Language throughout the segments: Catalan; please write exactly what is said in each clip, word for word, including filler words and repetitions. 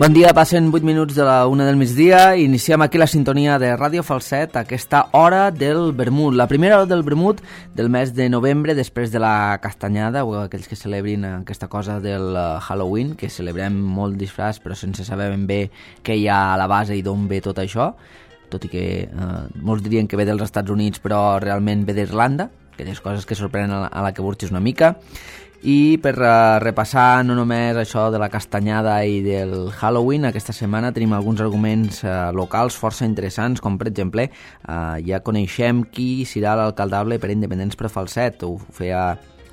Bon dia, passen vuit minuts de la una del migdia i iniciem aquí la sintonia de Ràdio Falset, aquesta hora del vermut, la primera hora del vermut del mes de novembre després de la castanyada, o aquells que celebrin aquesta cosa del Halloween, que celebrem molt disfraç però sense saber ben bé què hi ha a la base i d'on ve tot això, tot i que eh, molts dirien que ve dels Estats Units però realment ve d'Irlanda, aquelles coses que sorprenen a la que burxis una mica. I per uh, repassar no només això de la castanyada i del Halloween, aquesta setmana tenim alguns arguments uh, locals força interessants, com per exemple uh, ja coneixem qui serà l'alcaldable per Independents per Falset. Ho feia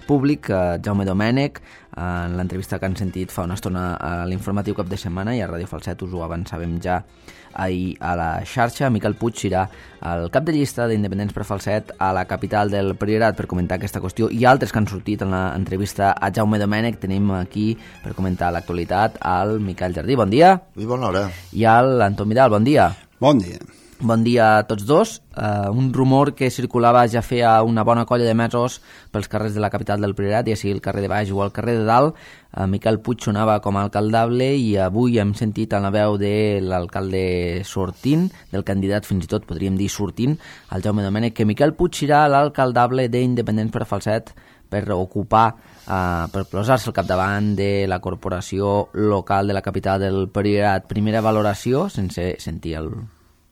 públic uh, Jaume Domènech uh, en l'entrevista que han sentit fa una estona a l'informatiu cap de setmana, i a Ràdio Falset us ho avançàvem ja ahir a la xarxa. Miquel Puig serà el cap de llista d'Independents per Falset a la capital del Priorat per comentar aquesta qüestió i altres que han sortit en l'entrevista a Jaume Domènech. Tenim aquí per comentar l'actualitat al Miquel Jardí, bon dia. I bona hora. I al Anton Vidal, bon dia. Bon dia. Bon dia a tots dos. Uh, un rumor que circulava ja feia una bona colla de mesos pels carrers de la capital del Priorat, ja sigui el carrer de Baix o el carrer de Dalt. Uh, Miquel Puig sonava com a alcaldable i avui hem sentit en la veu de l'alcalde sortint, del candidat fins i tot podríem dir sortint, el Jaume Domènech, que Miquel Puig serà l'alcaldable d'Independents per Falset per ocupar, uh, per posar-se al capdavant de la corporació local de la capital del Priorat. Primera valoració, sense sentir el...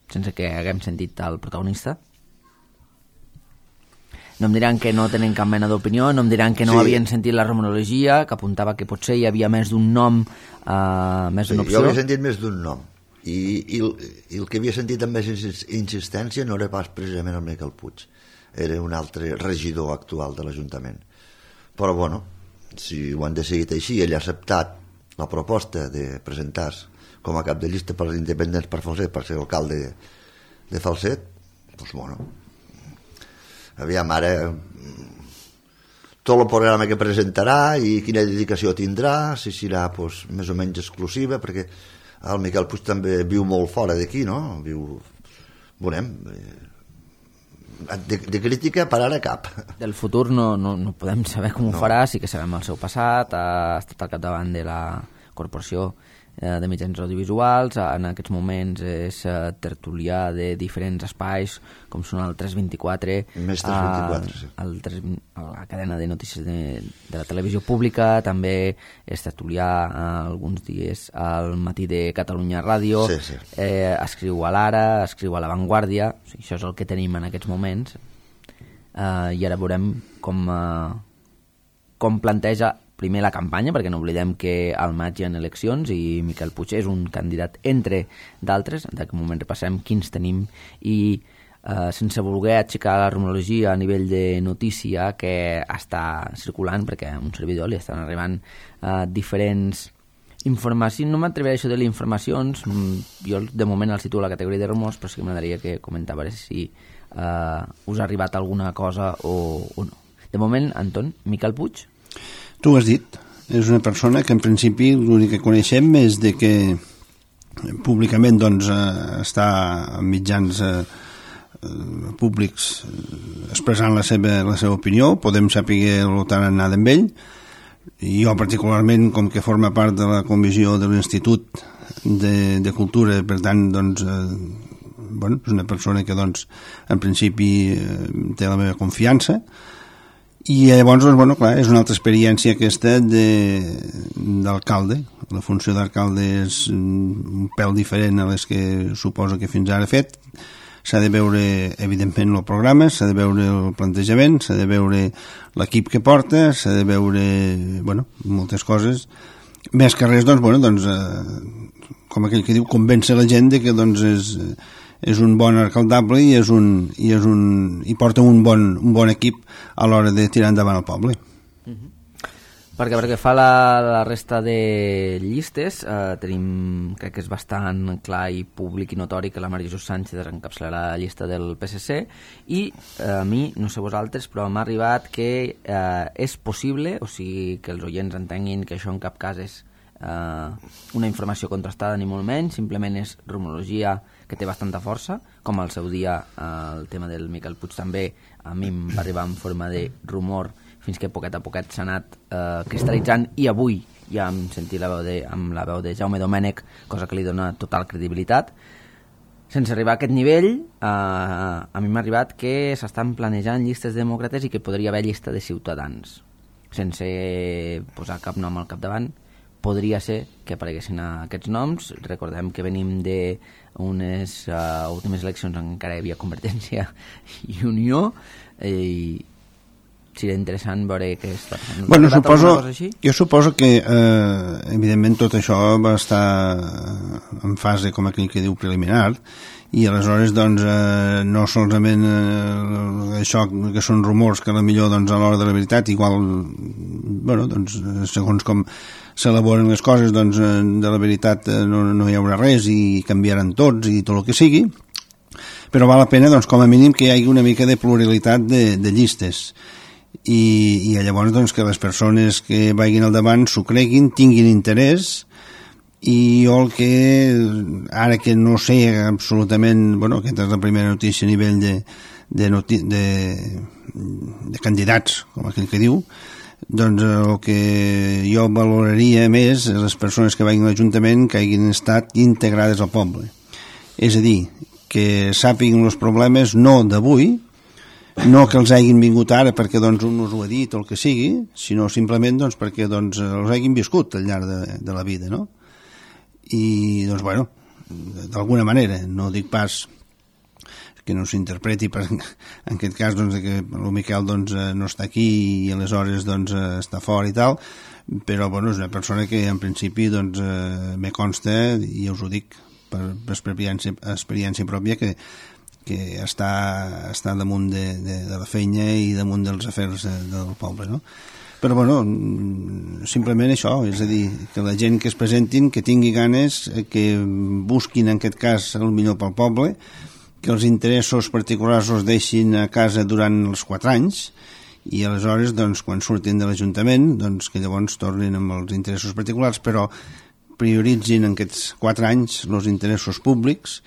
sense que haguem sentit el protagonista. No em diran que no tenen cap mena d'opinió, no em diran que no sí. havien sentit la rumorologia, que apuntava que potser hi havia més d'un nom, uh, més sí, d'una opció. Jo havia sentit més d'un nom, i, i, el, i el que havia sentit amb més insistència no era pas precisament el Miquel Puig, era un altre regidor actual de l'Ajuntament. Però bueno, si ho han decidit així, ell ha acceptat la proposta de presentar-se com a cap de llista per als Independents per Falset, per ser alcalde de, de Falset, doncs bueno, aviam ara tot el programa que presentarà i quina dedicació tindrà, si serà doncs, més o menys exclusiva, perquè el Miquel Puig també viu molt fora d'aquí, no? Viu, veurem, de, de crítica per ara cap. Del futur no, no, no podem saber com ho no. farà, sí que sabem el seu passat, ha estat al capdavant de la corporació de mitjans audiovisuals, en aquests moments és tertulià de diferents espais com són el tres vint-i-quatre, Més tres vint-i-quatre, sí. el tres, la cadena de notícies de, de la televisió pública, també és tertulià alguns dies al Matí de Catalunya Ràdio, sí, sí. Eh, escriu a l'Ara, escriu a La Vanguardia, o sigui, això és el que tenim en aquests moments, eh, i ara veurem com, eh, com planteja primer la campanya, perquè no oblidem que al maig hi ha eleccions i Miquel Puig és un candidat entre d'altres. En aquest moment repassem quins tenim i eh, sense voler aixecar la rumorologia a nivell de notícia que està circulant, perquè a un servidor li estan arribant eh, diferents informacions, no m'atreviré a això de les informacions, jo de moment el situo a la categoria de rumors, però sí que m'agradaria que comentava si eh, us ha arribat alguna cosa o, o no. De moment, Anton, Miquel Puig? Tu ho has dit, és una persona que en principi l'únic que coneixem és de que públicament doncs, eh, està en mitjans eh, públics expressant la seva, la seva opinió, podem saber el tan anat amb ell, i jo particularment, com que forma part de la comissió de l'Institut de, de Cultura, per tant, doncs, eh, bueno, és una persona que doncs, en principi eh, té la meva confiança. I llavors, doncs, bueno, clar, és una altra experiència aquesta d'alcalde. La funció d'alcalde és un pèl diferent a les que suposo que fins ara ha fet. S'ha de veure, evidentment, el programa, s'ha de veure el plantejament, s'ha de veure l'equip que porta, s'ha de veure, bueno, moltes coses. Més que res, doncs, bueno, doncs, eh, com aquell que diu, convèncer la gent de que, doncs, és... és un bon alcaldable i és un i és un i porta un bon un bon equip a l'hora de tirar endavant el poble. Uh-huh. Perquè perquè fa la, la resta de llistes, eh, tenim, crec que és bastant clar i públic i notori que la Maria Jesús Sánchez encapçalarà la llista del P S C i eh, a mi, no sé vosaltres, però m'ha arribat que eh, és possible, o sigui, que els oients entenguin que això en cap cas és Uh, una informació contrastada ni molt menys, simplement és rumorologia que té bastanta força, com al seu dia uh, el tema del Miquel Puig també a mi em va arribar en forma de rumor fins que poquet a poquet s'ha anat uh, cristal·litzant i avui ja hem sentit la veu de, amb la veu de Jaume Domènech, cosa que li dona total credibilitat. Sense arribar a aquest nivell, eh, a mi m'ha arribat que s'estan planejant llistes demòcrates i que podria haver llista de ciutadans. Sense posar cap nom al capdavant, podria ser que apareguessin aquests noms. Recordem que venim d'unes uh, últimes eleccions en què encara hi havia Convergència i Unió, i seria interessant veure què està passant. Bueno, suposo, jo suposo que eh, evidentment tot això va estar en fase, com aquell que diu, preliminar, i aleshores doncs, eh, no solament eh, això que són rumors que potser doncs, a l'hora de la veritat igual, bueno, doncs, segons com s'elaboren les coses, doncs, de la veritat no, no hi haurà res i canviaran tots i tot el que sigui, però val la pena doncs, com a mínim que hi hagi una mica de pluralitat de, de llistes. I, i llavors doncs, que les persones que vagin al davant s'ho creguin, tinguin interès, i jo el que ara que no sé absolutament, bueno, aquesta és la primera notícia a nivell de, de, noti de, de candidats, com aquell que diu, doncs el que jo valoraria més és les persones que vagin a l'Ajuntament que hagin estat integrades al poble, és a dir, que sàpiguen els problemes no d'avui, no que els hagin vingut ara perquè doncs, un us ho ha dit o el que sigui, sinó simplement doncs, perquè doncs, els hagin viscut al llarg de, de la vida, no? I doncs bueno, d'alguna manera, no dic pas que no s'interpreti per, en aquest cas doncs, que el Miquel doncs, no està aquí i aleshores doncs, està fora i tal, però bueno, és una persona que en principi doncs, me consta, i us ho dic per, per experiència, experiència pròpia, que que està, està damunt de, de, de la feina i damunt dels afers del poble, no? Però, bueno, simplement això, és a dir, que la gent que es presentin, que tingui ganes, que busquin, en aquest cas, el millor pel poble, que els interessos particulars els deixin a casa durant els quatre anys, i aleshores, doncs, quan surtin de l'Ajuntament, doncs, que llavors tornin amb els interessos particulars, però prioritzin en aquests quatre anys els interessos públics,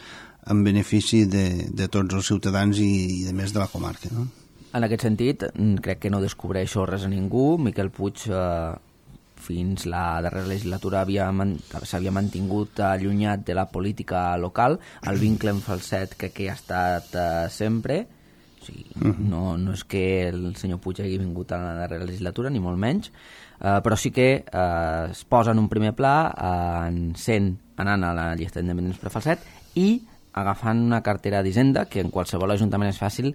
en benefici de, de tots els ciutadans i, i de més de la comarca, no? En aquest sentit, crec que no descobreixo res a ningú. Miquel Puig eh, fins la darrera legislatura s'havia mantingut allunyat de la política local. El vincle amb Falset crec que ha estat eh, sempre. O sigui, no, no és que el senyor Puig hagi vingut a la darrera legislatura, ni molt menys, eh, però sí que eh, es posa en un primer pla eh, sent, anant a la llista d'independents per Falset i agafant una cartera d'Hisenda, que en qualsevol ajuntament és fàcil,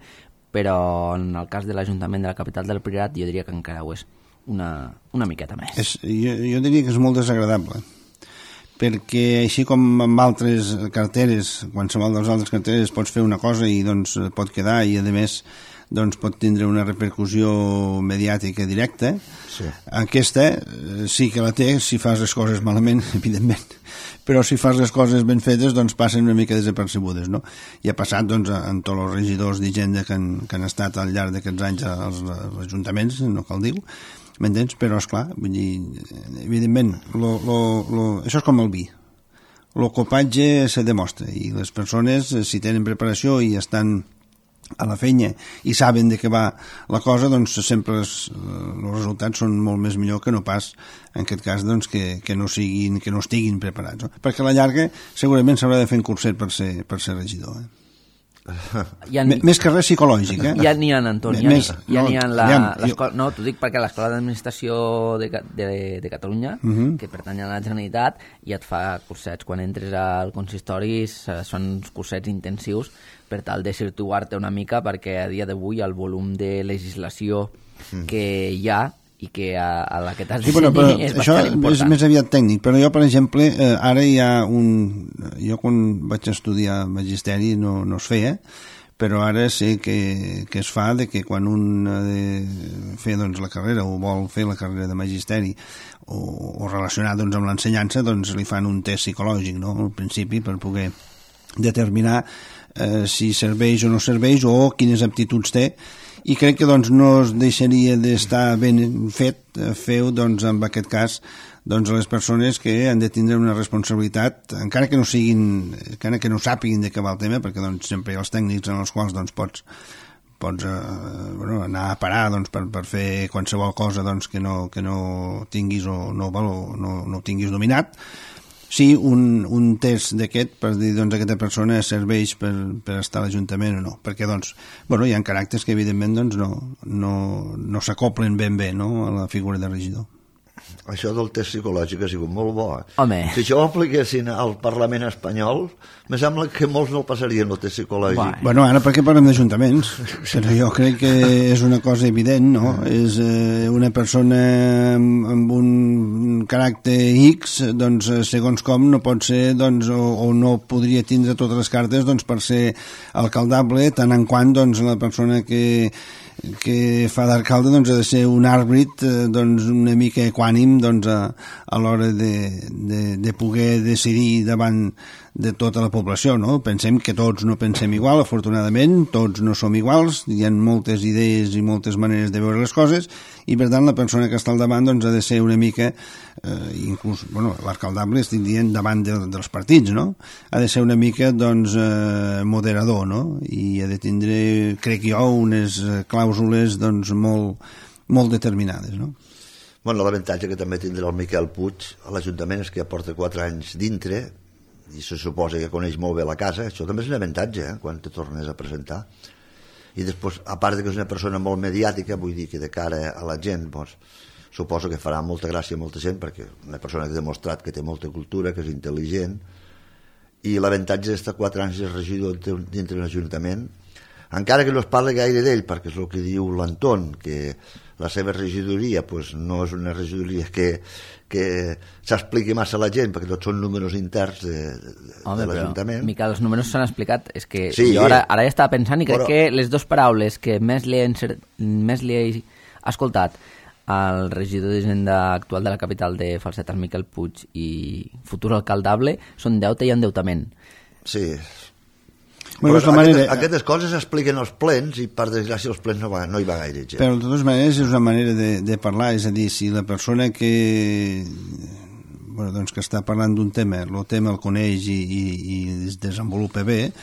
però en el cas de l'Ajuntament de la capital del Priorat jo diria que encara ho és una, una miqueta més. És, jo, jo diria que és molt desagradable, perquè així com amb altres carteres, qualsevol dels altres carteres pots fer una cosa i doncs pot quedar i a més doncs pot tindre una repercussió mediàtica directa, sí. Aquesta sí que la té si fas les coses malament, evidentment, però si fas les coses ben fetes doncs passen una mica desapercebudes, no? I ha passat doncs en tots els regidors d'Hisenda que, han, que han estat al llarg d'aquests anys als, als ajuntaments, no cal dir-ho, m'entens? Però esclar, vull dir, evidentment lo, lo, lo, això és com el vi, el copatge se demostra i les persones si tenen preparació i estan a la feina i saben de què va la cosa, doncs sempre els, els resultats són molt més millor que no pas en aquest cas doncs, que, que, no siguin, que no estiguin preparats, no? Perquè a la llarga segurament s'haurà de fer un curset per ser, per ser regidor, eh? Ja ni... Més que res psicològic, eh? Ja n'hi ha, Antoni, ja n'hi ja no, ha la, jo... no, t'ho dic perquè l'Escola d'Administració de, de, de Catalunya, uh -huh. que pertany a la Generalitat, ja et fa cursets quan entres al consistori, són cursets intensius per tal de situar-te una mica, perquè a dia d'avui el volum de legislació mm. que hi ha i que a, a la que t'has de sí, bueno, és bastant important. Això és més aviat tècnic, però jo, per exemple, eh, ara hi ha un... Jo quan vaig estudiar magisteri no, no es feia, però ara sé que, que es fa de que quan un ha de fer doncs, la carrera o vol fer la carrera de magisteri o, o relacionat doncs, amb l'ensenyança, doncs li fan un test psicològic, no?, al principi, per poder determinar eh, si serveix o no serveix o quines aptituds té, i crec que doncs, no es deixaria d'estar ben fet fer-ho doncs, en aquest cas doncs, les persones que han de tindre una responsabilitat, encara que no siguin encara que no sàpiguin de què va el tema, perquè doncs, sempre hi ha els tècnics en els quals doncs, pots, pots eh, bueno, anar a parar doncs, per, per fer qualsevol cosa doncs, que, no, que no tinguis o no, no, no, no tinguis dominat. Sí, un, un test d'aquest per dir doncs, aquesta persona serveix per, per estar a l'Ajuntament o no, perquè doncs, bueno, hi ha caràcters que evidentment doncs, no, no, no s'acoplen ben bé, no, a la figura de regidor. Això del test psicològic ha sigut molt bo. Home. Si això ho apliquessin al Parlament espanyol, me sembla que molts no el passarien el test psicològic. Vai. Bueno, ara perquè parlem d'ajuntaments, però jo crec que és una cosa evident, no? És eh, una persona amb, amb un caràcter X, doncs, segons com, no pot ser, doncs, o, o no podria tindre totes les cartes doncs, per ser alcaldable, tant en quant doncs, la persona que que fa d'alcalde doncs, ha de ser un àrbit eh, doncs, una mica equànim doncs, a, a l'hora de, de, de poder decidir davant de tota la població, no? Pensem que tots no pensem igual, afortunadament, tots no som iguals, hi ha moltes idees i moltes maneres de veure les coses, i per tant la persona que està al davant doncs, ha de ser una mica, eh, inclús, bueno, l'alcaldable estic dient davant de, dels partits, no? Ha de ser una mica, doncs, eh, moderador, no? I ha de tindre, crec jo, unes clàusules, doncs, molt, molt determinades, no? Bueno, l'avantatge que també tindrà el Miquel Puig a l'Ajuntament és que ja porta quatre anys dintre i se suposa que coneix molt bé la casa. Això també és un avantatge, eh, quan te tornes a presentar. I després, a part de que és una persona molt mediàtica, vull dir que de cara a la gent, doncs, suposo que farà molta gràcia a molta gent, perquè una persona que ha demostrat que té molta cultura, que és intel·ligent, i l'avantatge d'estar quatre anys de regidor dintre l'Ajuntament, encara que no es parli gaire d'ell, perquè és el que diu l'Anton, que la seva regidoria pues, no és una regidoria que, que s'expliqui massa a la gent, perquè tots són números interns de, de, Home, de l'Ajuntament. Però, Miquel, els números s'han explicat, és que sí, jo ara, ara ja estava pensant i crec però... que les dues paraules que més li he, encert... més li he escoltat al regidor d'Hisenda actual de la capital de Falset, el Miquel Puig, i futur alcaldable, són deute i endeutament. Sí. Bueno, però manera... aquestes, aquestes coses s'expliquen als plens i per desgràcia els plens no, va, no hi va gaire gent. Però de totes maneres és una manera de, de parlar, és a dir, si la persona que bueno, doncs que està parlant d'un tema, el tema el coneix i, i, i es desenvolupa bé,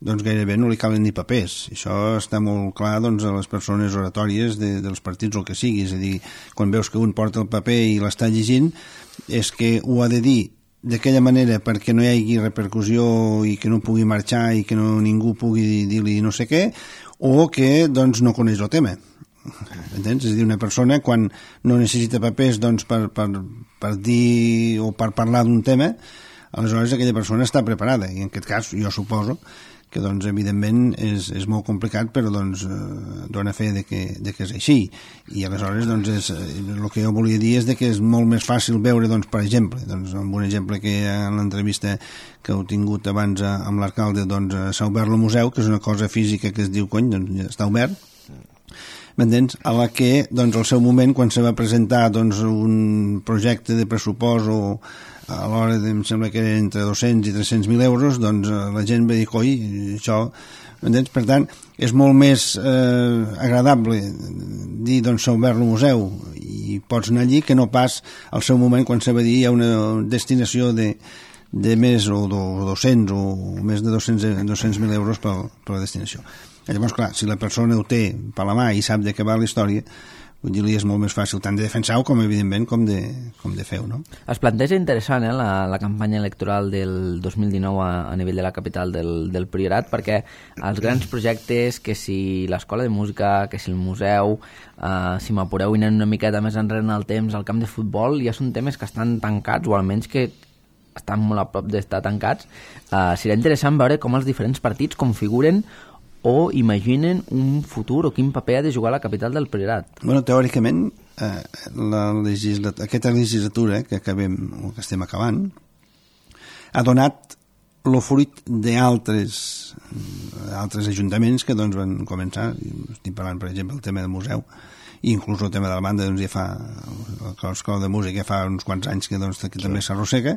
doncs gairebé no li calen ni papers. Això està molt clar doncs, a les persones oratòries de, dels partits o el que sigui, és a dir, quan veus que un porta el paper i l'està llegint, és que ho ha de dir d'aquella manera perquè no hi hagi repercussió i que no pugui marxar i que no, ningú pugui dir-li no sé què, o que doncs, no coneix el tema. Entens? És a dir, una persona quan no necessita papers doncs, per, per, per dir o per parlar d'un tema, aleshores aquella persona està preparada, i en aquest cas jo suposo que doncs, evidentment és, és molt complicat, però doncs, eh, dona fe de que, de que és així. I aleshores doncs, és, el que jo volia dir és de que és molt més fàcil veure, doncs, per exemple, doncs, amb un exemple que en l'entrevista que heu tingut abans amb l'alcalde, doncs, s'ha obert el museu, que és una cosa física que es diu, cony, doncs ja està obert, m'entens? A la que, doncs, al seu moment, quan se va presentar doncs, un projecte de pressupost o a l'hora, em sembla que era entre dos-cents i tres-cents mil euros, doncs la gent va dir, coi, això, m'entens? Per tant, és molt més eh, agradable dir, doncs, s'ha obert el museu i pots anar allí que no pas al seu moment quan se va dir hi ha una destinació de, de més o dos-cents o més de dos-cents mil euros per, per la destinació. Llavors, clar, si la persona ho té per la mà i sap de què va la història, vull dir-li, és molt més fàcil tant de defensar-ho com, evidentment, com de, com de fer-ho, no? Es planteja interessant, eh, la, la campanya electoral del dos mil dinou a, a nivell de la capital del, del Priorat, perquè els grans projectes, que si l'escola de música, que si el museu, eh, si m'apureu i anem una miqueta més enrere en el temps, el camp de futbol, ja són temes que estan tancats, o almenys que estan molt a prop d'estar tancats. Eh, serà interessant veure com els diferents partits configuren o imaginen un futur o quin paper ha de jugar la capital del Priorat. Bueno, teòricament, eh, la legislat aquesta legislatura que acabem, o que estem acabant, ha donat el fruit d'altres altres ajuntaments que doncs, van començar, estic parlant, per exemple, el tema del museu, i inclús el tema de la banda, doncs, ja fa, l'escola de música ja fa uns quants anys que, doncs, que també s'arrossega,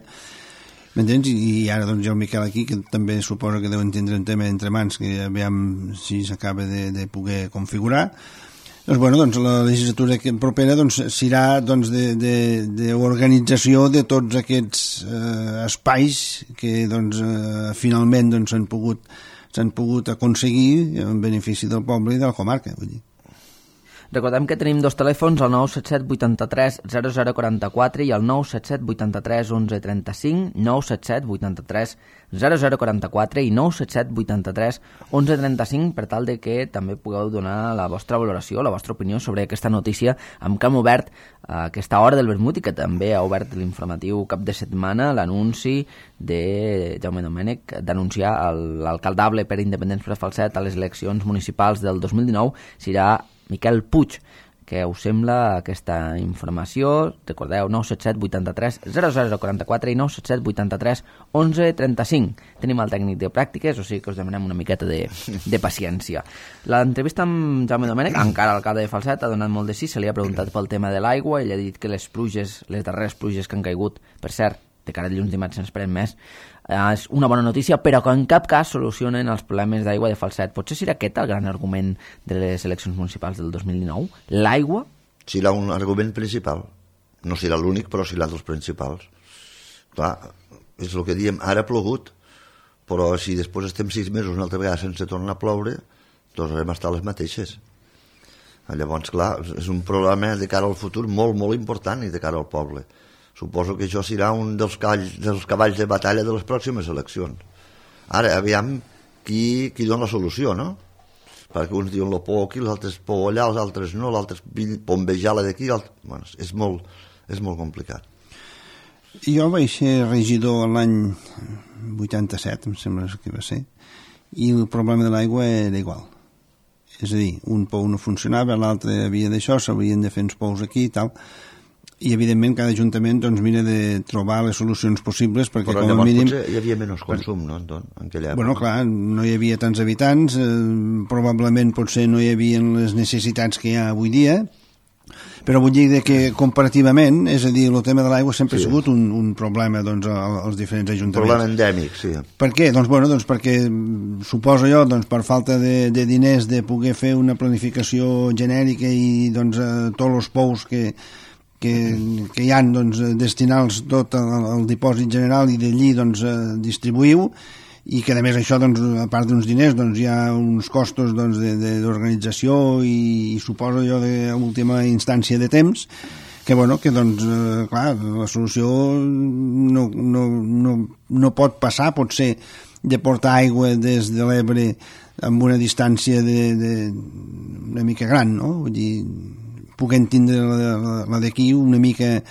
m'entens? I ara doncs, hi ha el Miquel aquí, que també suposa que deuen tindre un tema entre mans, que ja veiem si s'acaba de, de poder configurar. Doncs, bueno, doncs, la legislatura propera doncs, serà doncs, d'organització de, de, de tots aquests eh, espais que doncs, eh, finalment doncs, s'han pogut s'han pogut aconseguir en benefici del poble i de la comarca, vull dir. Recordem que tenim dos telèfons, el nou set set vuitanta-tres zero zero quaranta-quatre i el nou set set vuitanta-tres onze trenta-cinc, nou set set vuitanta-tres zero zero quaranta-quatre i nou set set vuitanta-tres onze trenta-cinc, per tal de que també pugueu donar la vostra valoració, la vostra opinió sobre aquesta notícia amb què hem obert a aquesta hora del vermut i que també ha obert l'informatiu cap de setmana, l'anunci de Jaume Domènech d'anunciar l'alcaldable per Independents per Falset a les eleccions municipals del dos mil dinou serà Miquel Puig. Què us sembla aquesta informació? Recordeu, nou set set vuitanta-tres zero zero quaranta-quatre i nou set set vuitanta-tres onze trenta-cinc. Tenim el tècnic de pràctiques, o sigui que us demanem una miqueta de, de paciència. L'entrevista amb Jaume Domènech, encara alcalde de Falset, ha donat molt de sí, se li ha preguntat pel tema de l'aigua, ell ha dit que les pluges, les darreres pluges que han caigut, per cert, de cara a dilluns dimarts se'n esperen més, és una bona notícia, però que en cap cas solucionen els problemes d'aigua de Falset. Potser serà aquest el gran argument de les eleccions municipals del dos mil dinou? L'aigua? Serà un argument principal. No serà l'únic, però serà dels principals. Clar, és el que diem, ara ha plogut, però si després estem sis mesos una altra vegada sense tornar a ploure, tornarem a estar les mateixes. Llavors, clar, és un problema de cara al futur molt, molt important i de cara al poble. Suposo que això serà un dels cavalls, dels cavalls de batalla de les pròximes eleccions. Ara, aviam qui, qui dona la solució, no? Perquè uns diuen la por aquí, els altres por allà, els altres no, l'altre bombejar-la d'aquí. Bueno, és, molt, és molt complicat. Jo vaig ser regidor l'any vuitanta-set, em sembla que va ser, i el problema de l'aigua era igual. És a dir, un pou no funcionava, l'altre havia d'això, s'haurien de fer uns pous aquí i tal, i evidentment cada ajuntament doncs mira de trobar les solucions possibles perquè però com a mínim... potser hi havia menys consum, no? En aquella època. Bueno, clar, no hi havia tants habitants, eh, probablement potser no hi havia les necessitats que hi ha avui dia, però vull dir que comparativament, és a dir, el tema de l'aigua sempre sí. ha sigut un, un problema doncs, als diferents ajuntaments. Un problema endèmic, sí. Per què? Doncs, bueno, doncs perquè suposo jo, doncs, per falta de, de diners de poder fer una planificació genèrica i doncs, eh, tots els pous que que, que hi ha doncs, destinar-los tot al, al dipòsit general i d'allí doncs, distribuïu, i que a més això, doncs, a part d'uns diners, doncs, hi ha uns costos doncs, d'organització i, i suposo jo d'última instància de temps, que, bueno, que doncs, eh, clar, la solució no, no, no, no pot passar, pot ser de portar aigua des de l'Ebre amb una distància de, de, una mica gran, no? Vull dir, puguem tindre la, la, la d'aquí una mica,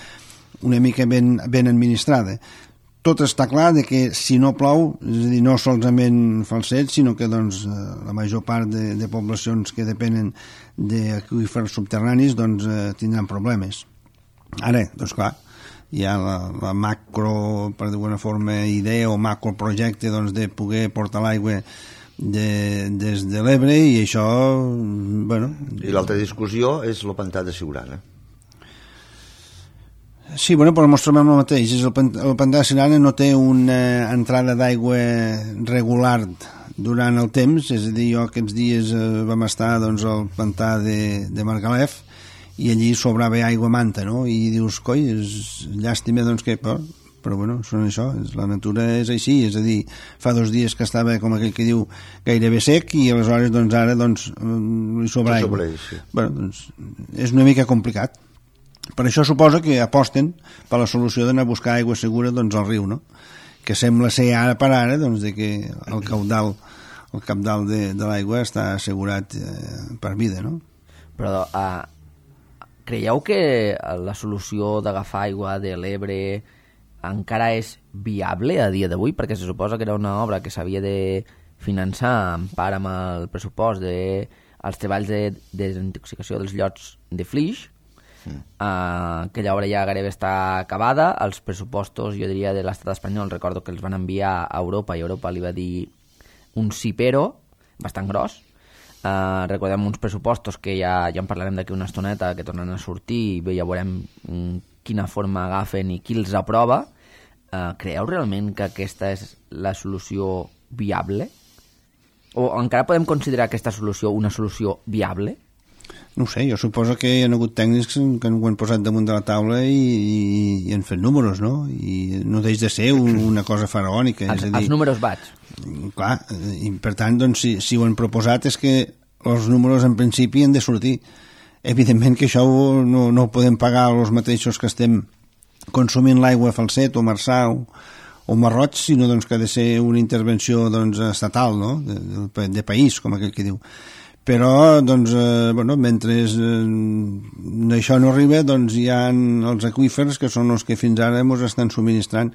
una mica ben, ben administrada. Tot està clar de que si no plou, és a dir, no solament Falset, sinó que doncs, la major part de, de poblacions que depenen d'aqüífers subterranis doncs, tindran problemes. Ara, doncs clar, hi ha la, la macro, per d'alguna forma, idea o macroprojecte doncs, de poder portar l'aigua De, des de l'Ebre i això, bueno... I l'altra discussió és el pantà de Siurana. Sí, bueno, però mostrem el mateix. El, el pantà de Siurana no té una entrada d'aigua regular durant el temps, és a dir, jo aquests dies eh, vam estar doncs, al pantà de, de Margalef i allí sobrava aigua manta, no? I dius, coi, és llàstima doncs que... Però, però bueno, són això, la natura és així, és a dir, fa dos dies que estava, com aquell que diu, gairebé sec i aleshores, doncs, ara, doncs, li sobra aigua. Sí. Bueno, doncs, és una mica complicat. Per això suposa que aposten per la solució d'anar a buscar aigua segura, doncs, al riu, no? Que sembla ser ara per ara, doncs, de que el caudal, el cabdal de, de l'aigua està assegurat eh, per vida, no? Però, uh, creieu que la solució d'agafar aigua de l'Ebre encara és viable a dia d'avui, perquè se suposa que era una obra que s'havia de finançar en part amb el pressupost dels de, treballs de, de desintoxicació dels llots de Flix, mm. uh, aquella obra ja gairebé està acabada, els pressupostos, jo diria, de l'estat espanyol, recordo que els van enviar a Europa i Europa li va dir un sí però, bastant gros. Uh, recordem uns pressupostos que ja, ja en parlarem d'aquí una estoneta, que tornen a sortir i ja veurem um, quina forma agafen i qui els aprova. Uh, creieu realment que aquesta és la solució viable? O encara podem considerar aquesta solució una solució viable? No ho sé, jo suposo que hi ha hagut tècnics que ho han posat damunt de la taula i, i, i han fet números, no? I no deix de ser un, una cosa faraònica. Els, és a dir, els números vaig. Clar, i per tant, doncs, si, si ho han proposat és que els números en principi han de sortir. Evidentment que això no, no ho podem pagar els mateixos que estem consumint l'aigua a Falset o Marçà o, o Marroig, sinó doncs, que ha de ser una intervenció doncs, estatal, no? de, de, de país, com aquell que diu. Però, doncs, eh, bueno, mentre eh, això no arriba, doncs hi ha els aqüífers, que són els que fins ara ens estan subministrant,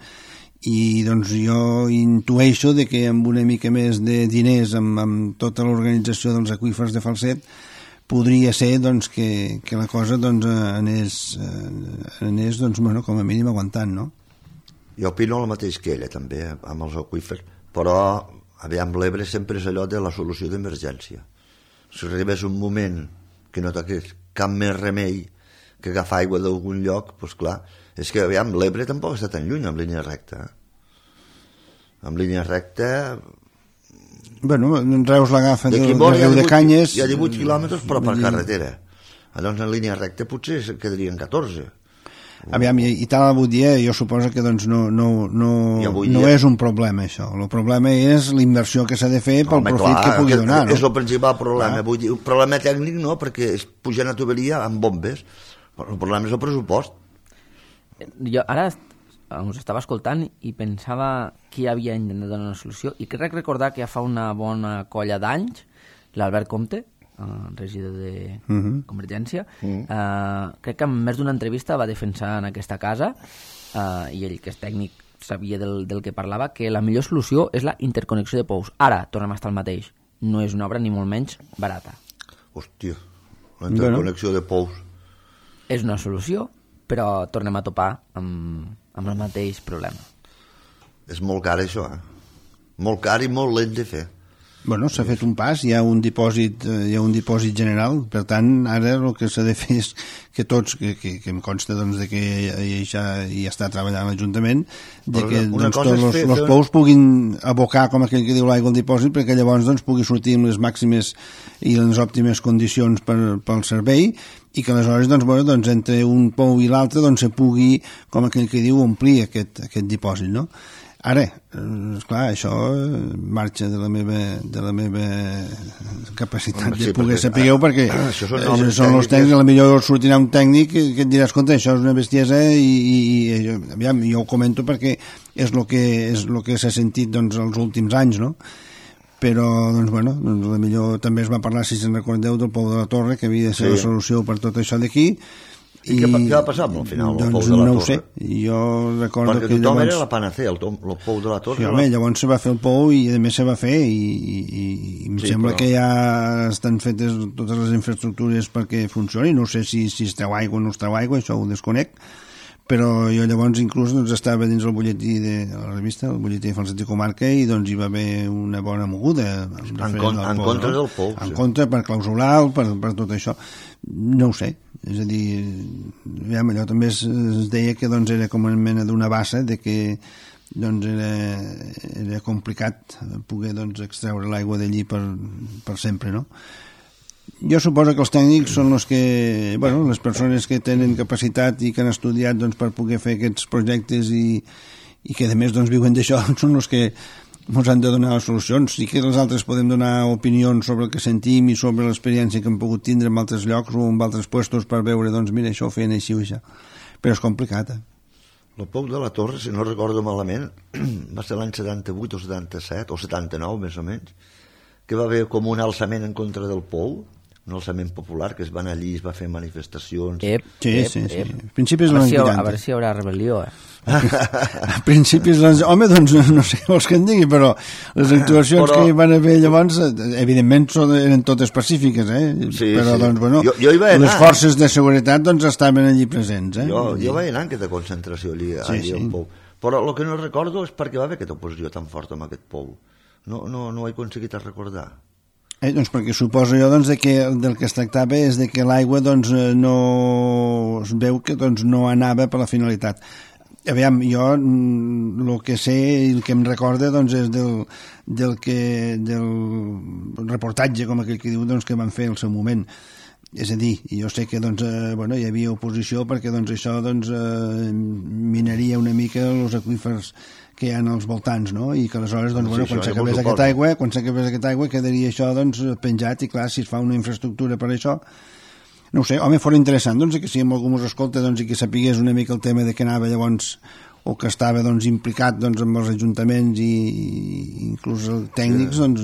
i doncs jo intueixo de que amb una mica més de diners, amb, amb tota l'organització dels aqüífers de Falset, podria ser doncs, que, que la cosa doncs, anés, anés doncs, bueno, com a mínim aguantant, no? Jo opino el mateix que ella, també, amb els aqüífers, però, aviam, l'Ebre sempre és allò de la solució d'emergència. Si arribés un moment que no toqués cap més remei que agafar aigua d'algun lloc, doncs clar, és que, aviam, l'Ebre tampoc està tan lluny amb línia recta. Amb línia recta... Bueno, Reus l'agafa de, de, de, de Canyes... Hi ha divuit quilòmetres, però per carretera. Llavors, en línia recta potser quedarien catorze. Aviam, i, i tal avui dia jo suposo que doncs, no, no, no, no dia... és un problema això, el problema és la inversió que s'ha de fer pel Home, profit clar, que pugui donar, no? És el principal problema, vull dir, el problema tècnic no, perquè és pujar a tuberia amb bombes, però el problema és el pressupost. Jo ara us estava escoltant i pensava qui havia intentat donar una solució, i crec recordar que ja fa una bona colla d'anys l'Albert Comte, Uh, regidor de uh-huh. Convergència, uh-huh. uh, crec que en més d'una entrevista va defensar en aquesta casa, uh, i ell, que és tècnic, sabia del, del que parlava, que la millor solució és la interconnexió de pous. Ara, tornem a estar al mateix. No és una obra ni molt menys barata. Hòstia, la interconnexió bueno. de pous. És una solució, però tornem a topar amb, amb el mateix problema. És molt car, això, eh? Molt car i molt lent de fer. Bueno, s'ha fet un pas, hi ha un dipòsit, hi ha un dipòsit general, per tant, ara el que s'ha de fer és que tots, que, que, que em consta doncs, de que ja hi està treballant l'Ajuntament, de que doncs, tots els, els pous puguin abocar, com aquell que diu, l'aigua al dipòsit, perquè llavors doncs, pugui sortir amb les màximes i les òptimes condicions per, pel servei, i que aleshores doncs, bueno, doncs, entre un pou i l'altre doncs, se pugui, com aquell que diu, omplir aquest, aquest dipòsit, no? Ara, esclar, això marxa de la meva, de la meva capacitat sí, de poder saber-ho, perquè això són, eh, són els tècnics, a la millor sortirà un tècnic que, que et dirà, escolta, això és una bestiesa, i, i, i aviam, jo ho comento perquè és el que, és lo que s'ha sentit doncs, els últims anys, no? Però, doncs, bueno, doncs, la millor també es va parlar, si se'n recordeu, del Pou de la Torre, que havia de ser sí. la solució per tot això d'aquí. I, I què, què va passar al final, el doncs Pou de la no Torre? Ho sé, jo recordo perquè que tothom llavors... era la panacea, el, el Pou de la Torre. Sí, home, llavors se va fer el Pou i a més se va fer i, i, i em sí, sembla però... que ja estan fetes totes les infraestructures perquè funcioni, no sé si, si es treu aigua o no es treu aigua, això ho desconec, però jo llavors inclús doncs, estava dins el butlletí de la revista, el butlletí de Falset i Comarca, i doncs hi va haver una bona moguda en, con, en Pou, contra no? del Pou, en sí. contra per clausular, per, per tot això, no ho sé. És a dir, ja, allò també es, es deia que doncs, era com una mena d'una bassa, de que doncs, era, era complicat poder doncs, extreure l'aigua d'allí per, per sempre, no? Jo suposo que els tècnics són els que, bueno, les persones que tenen capacitat i que han estudiat doncs, per poder fer aquests projectes i, i que a més doncs, viuen d'això, són els que ens han de donar les solucions. Sí que els altres podem donar opinions sobre el que sentim i sobre l'experiència que hem pogut tindre en altres llocs o en altres puestos per veure, doncs mira, això ho feien així o això. Però és complicat, eh? El Pou de la Torre, si no recordo malament, va ser l'any setanta-vuit o setanta-set, o setanta-nou més o menys, que va haver com un alçament en contra del Pou, un alçament popular, que es van allí, es va fer manifestacions... Ep, sí, ep, sí, sí. ep. Principis a, veure si vuitanta. a veure si hi haurà rebel·lió, eh? A principis... Home, doncs no sé vols que en digui, però les actuacions però... que hi van haver llavors, evidentment eren totes pacífiques, eh? Sí, però, sí. doncs, bueno, jo, jo hi vaig anar. Les forces de seguretat doncs estaven allí presents, eh? Jo, jo vaig anar en aquesta concentració allí, sí, allí sí. al Pou. Però el que no recordo és perquè va haver aquesta oposició tan forta amb aquest Pou. No, no, no ho he aconseguit a recordar. Eh, doncs perquè suposo jo doncs, de que del que es tractava és de que l'aigua doncs, no es veu que doncs, no anava per la finalitat. Aviam, jo el que sé i el que em recorda doncs, és del, del, que, del reportatge, com aquell que diu, doncs, que van fer al seu moment. és a dir, jo sé que doncs, eh, bueno, hi havia oposició perquè doncs, això doncs, eh, minaria una mica els aqüífers que hi ha als voltants, no? I que aleshores, doncs, Sí, bueno, això quan ja s'acabés m'ho aquesta suposo. aigua, quan s'acabés aquesta aigua, quedaria això, doncs, penjat, i clar, si es fa una infraestructura per això, no ho sé, home, fora interessant, doncs, que si algú mos escolta, doncs, i que sapigués una mica el tema de que anava llavors, o que estava, doncs, implicat, doncs, amb els ajuntaments i, i inclús els tècnics, sí. doncs,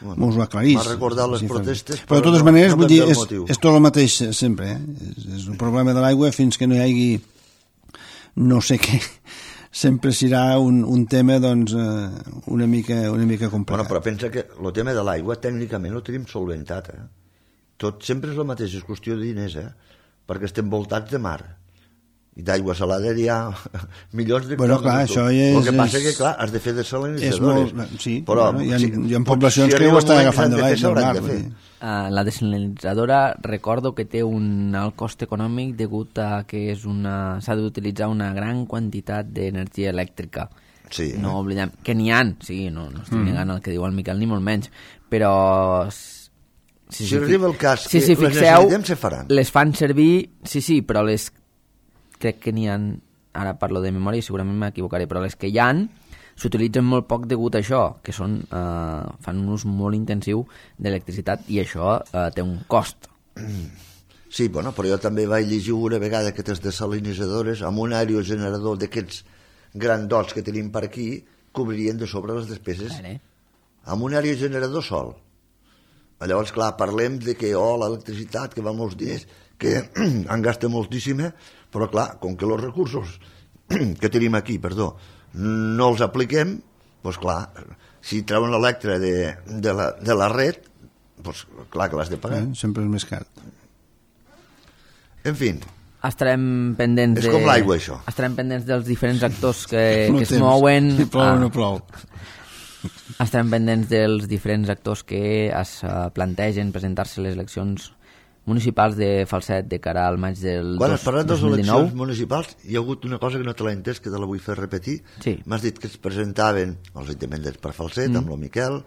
bueno, mos ho aclarís. M'ha recordat les protestes, però, però de totes no, maneres, no vull dir, canvia el és, motiu. és tot el mateix sempre, eh? És, és un problema de l'aigua fins que no hi hagi no sé què, sempre serà un, un tema doncs, eh, una mica, una mica complicat. Bueno, però pensa que el tema de l'aigua tècnicament ho tenim solventat, eh? Tot sempre és el mateix, és qüestió de diners, eh? Perquè estem voltats de mar. I d'aigua salada hi ha milions de bueno, clar, això és, el que passa és, és que, clar, has de fer desalinitzadores. Molt, sí, però, bueno, hi ha, si, hi ha poblacions si que ho estan moment agafant de s'han l'aigua del mar. de fer. Uh, la desalinitzadora recordo que té un alt cost econòmic degut a que és una s'ha d'utilitzar una gran quantitat d'energia elèctrica. Sí, no eh? oblidem que n'hi ha, sí, no, no estic Mm. negant el que diu el Miquel ni molt menys, però Si, si arriba el cas sí, que sí, les fixeu, necessitem, se faran. les fan servir, sí, sí, però les crec que n'hi ha, ara parlo de memòria i segurament m'equivocaré, però les que hi han s'utilitzen molt poc degut a això, que són, eh, fan un ús molt intensiu d'electricitat i això eh, té un cost. Sí, bueno, però jo també vaig llegir una vegada aquestes desalinitzadores amb un aerogenerador d'aquests grandots que tenim per aquí cobririen de sobre les despeses Vale. amb un aerogenerador sol. Llavors, clar, parlem de que, oh, l'electricitat, que va molts diners, que en gasta moltíssima, però, clar, com que els recursos que tenim aquí, perdó, no els apliquem, doncs, clar, si treuen l'electre de, de, la, de la red, doncs, clar que l'has de pagar. Eh? Sempre és més car. En fi, Estarem pendents És de... com l'aigua, això. Estarem pendents dels diferents actors que, No que es temps. mouen. Si plou o ah, no plou. Estarem pendents dels diferents actors que es uh, plantegen presentar-se a les eleccions municipals de Falset de cara al maig del quan has parlat de les dos mil dinou. eleccions municipals, hi ha hagut una cosa que no te l'he entès, que te la vull fer repetir. Sí. M'has dit que es presentaven els independents per Falset, mm. amb el Miquel,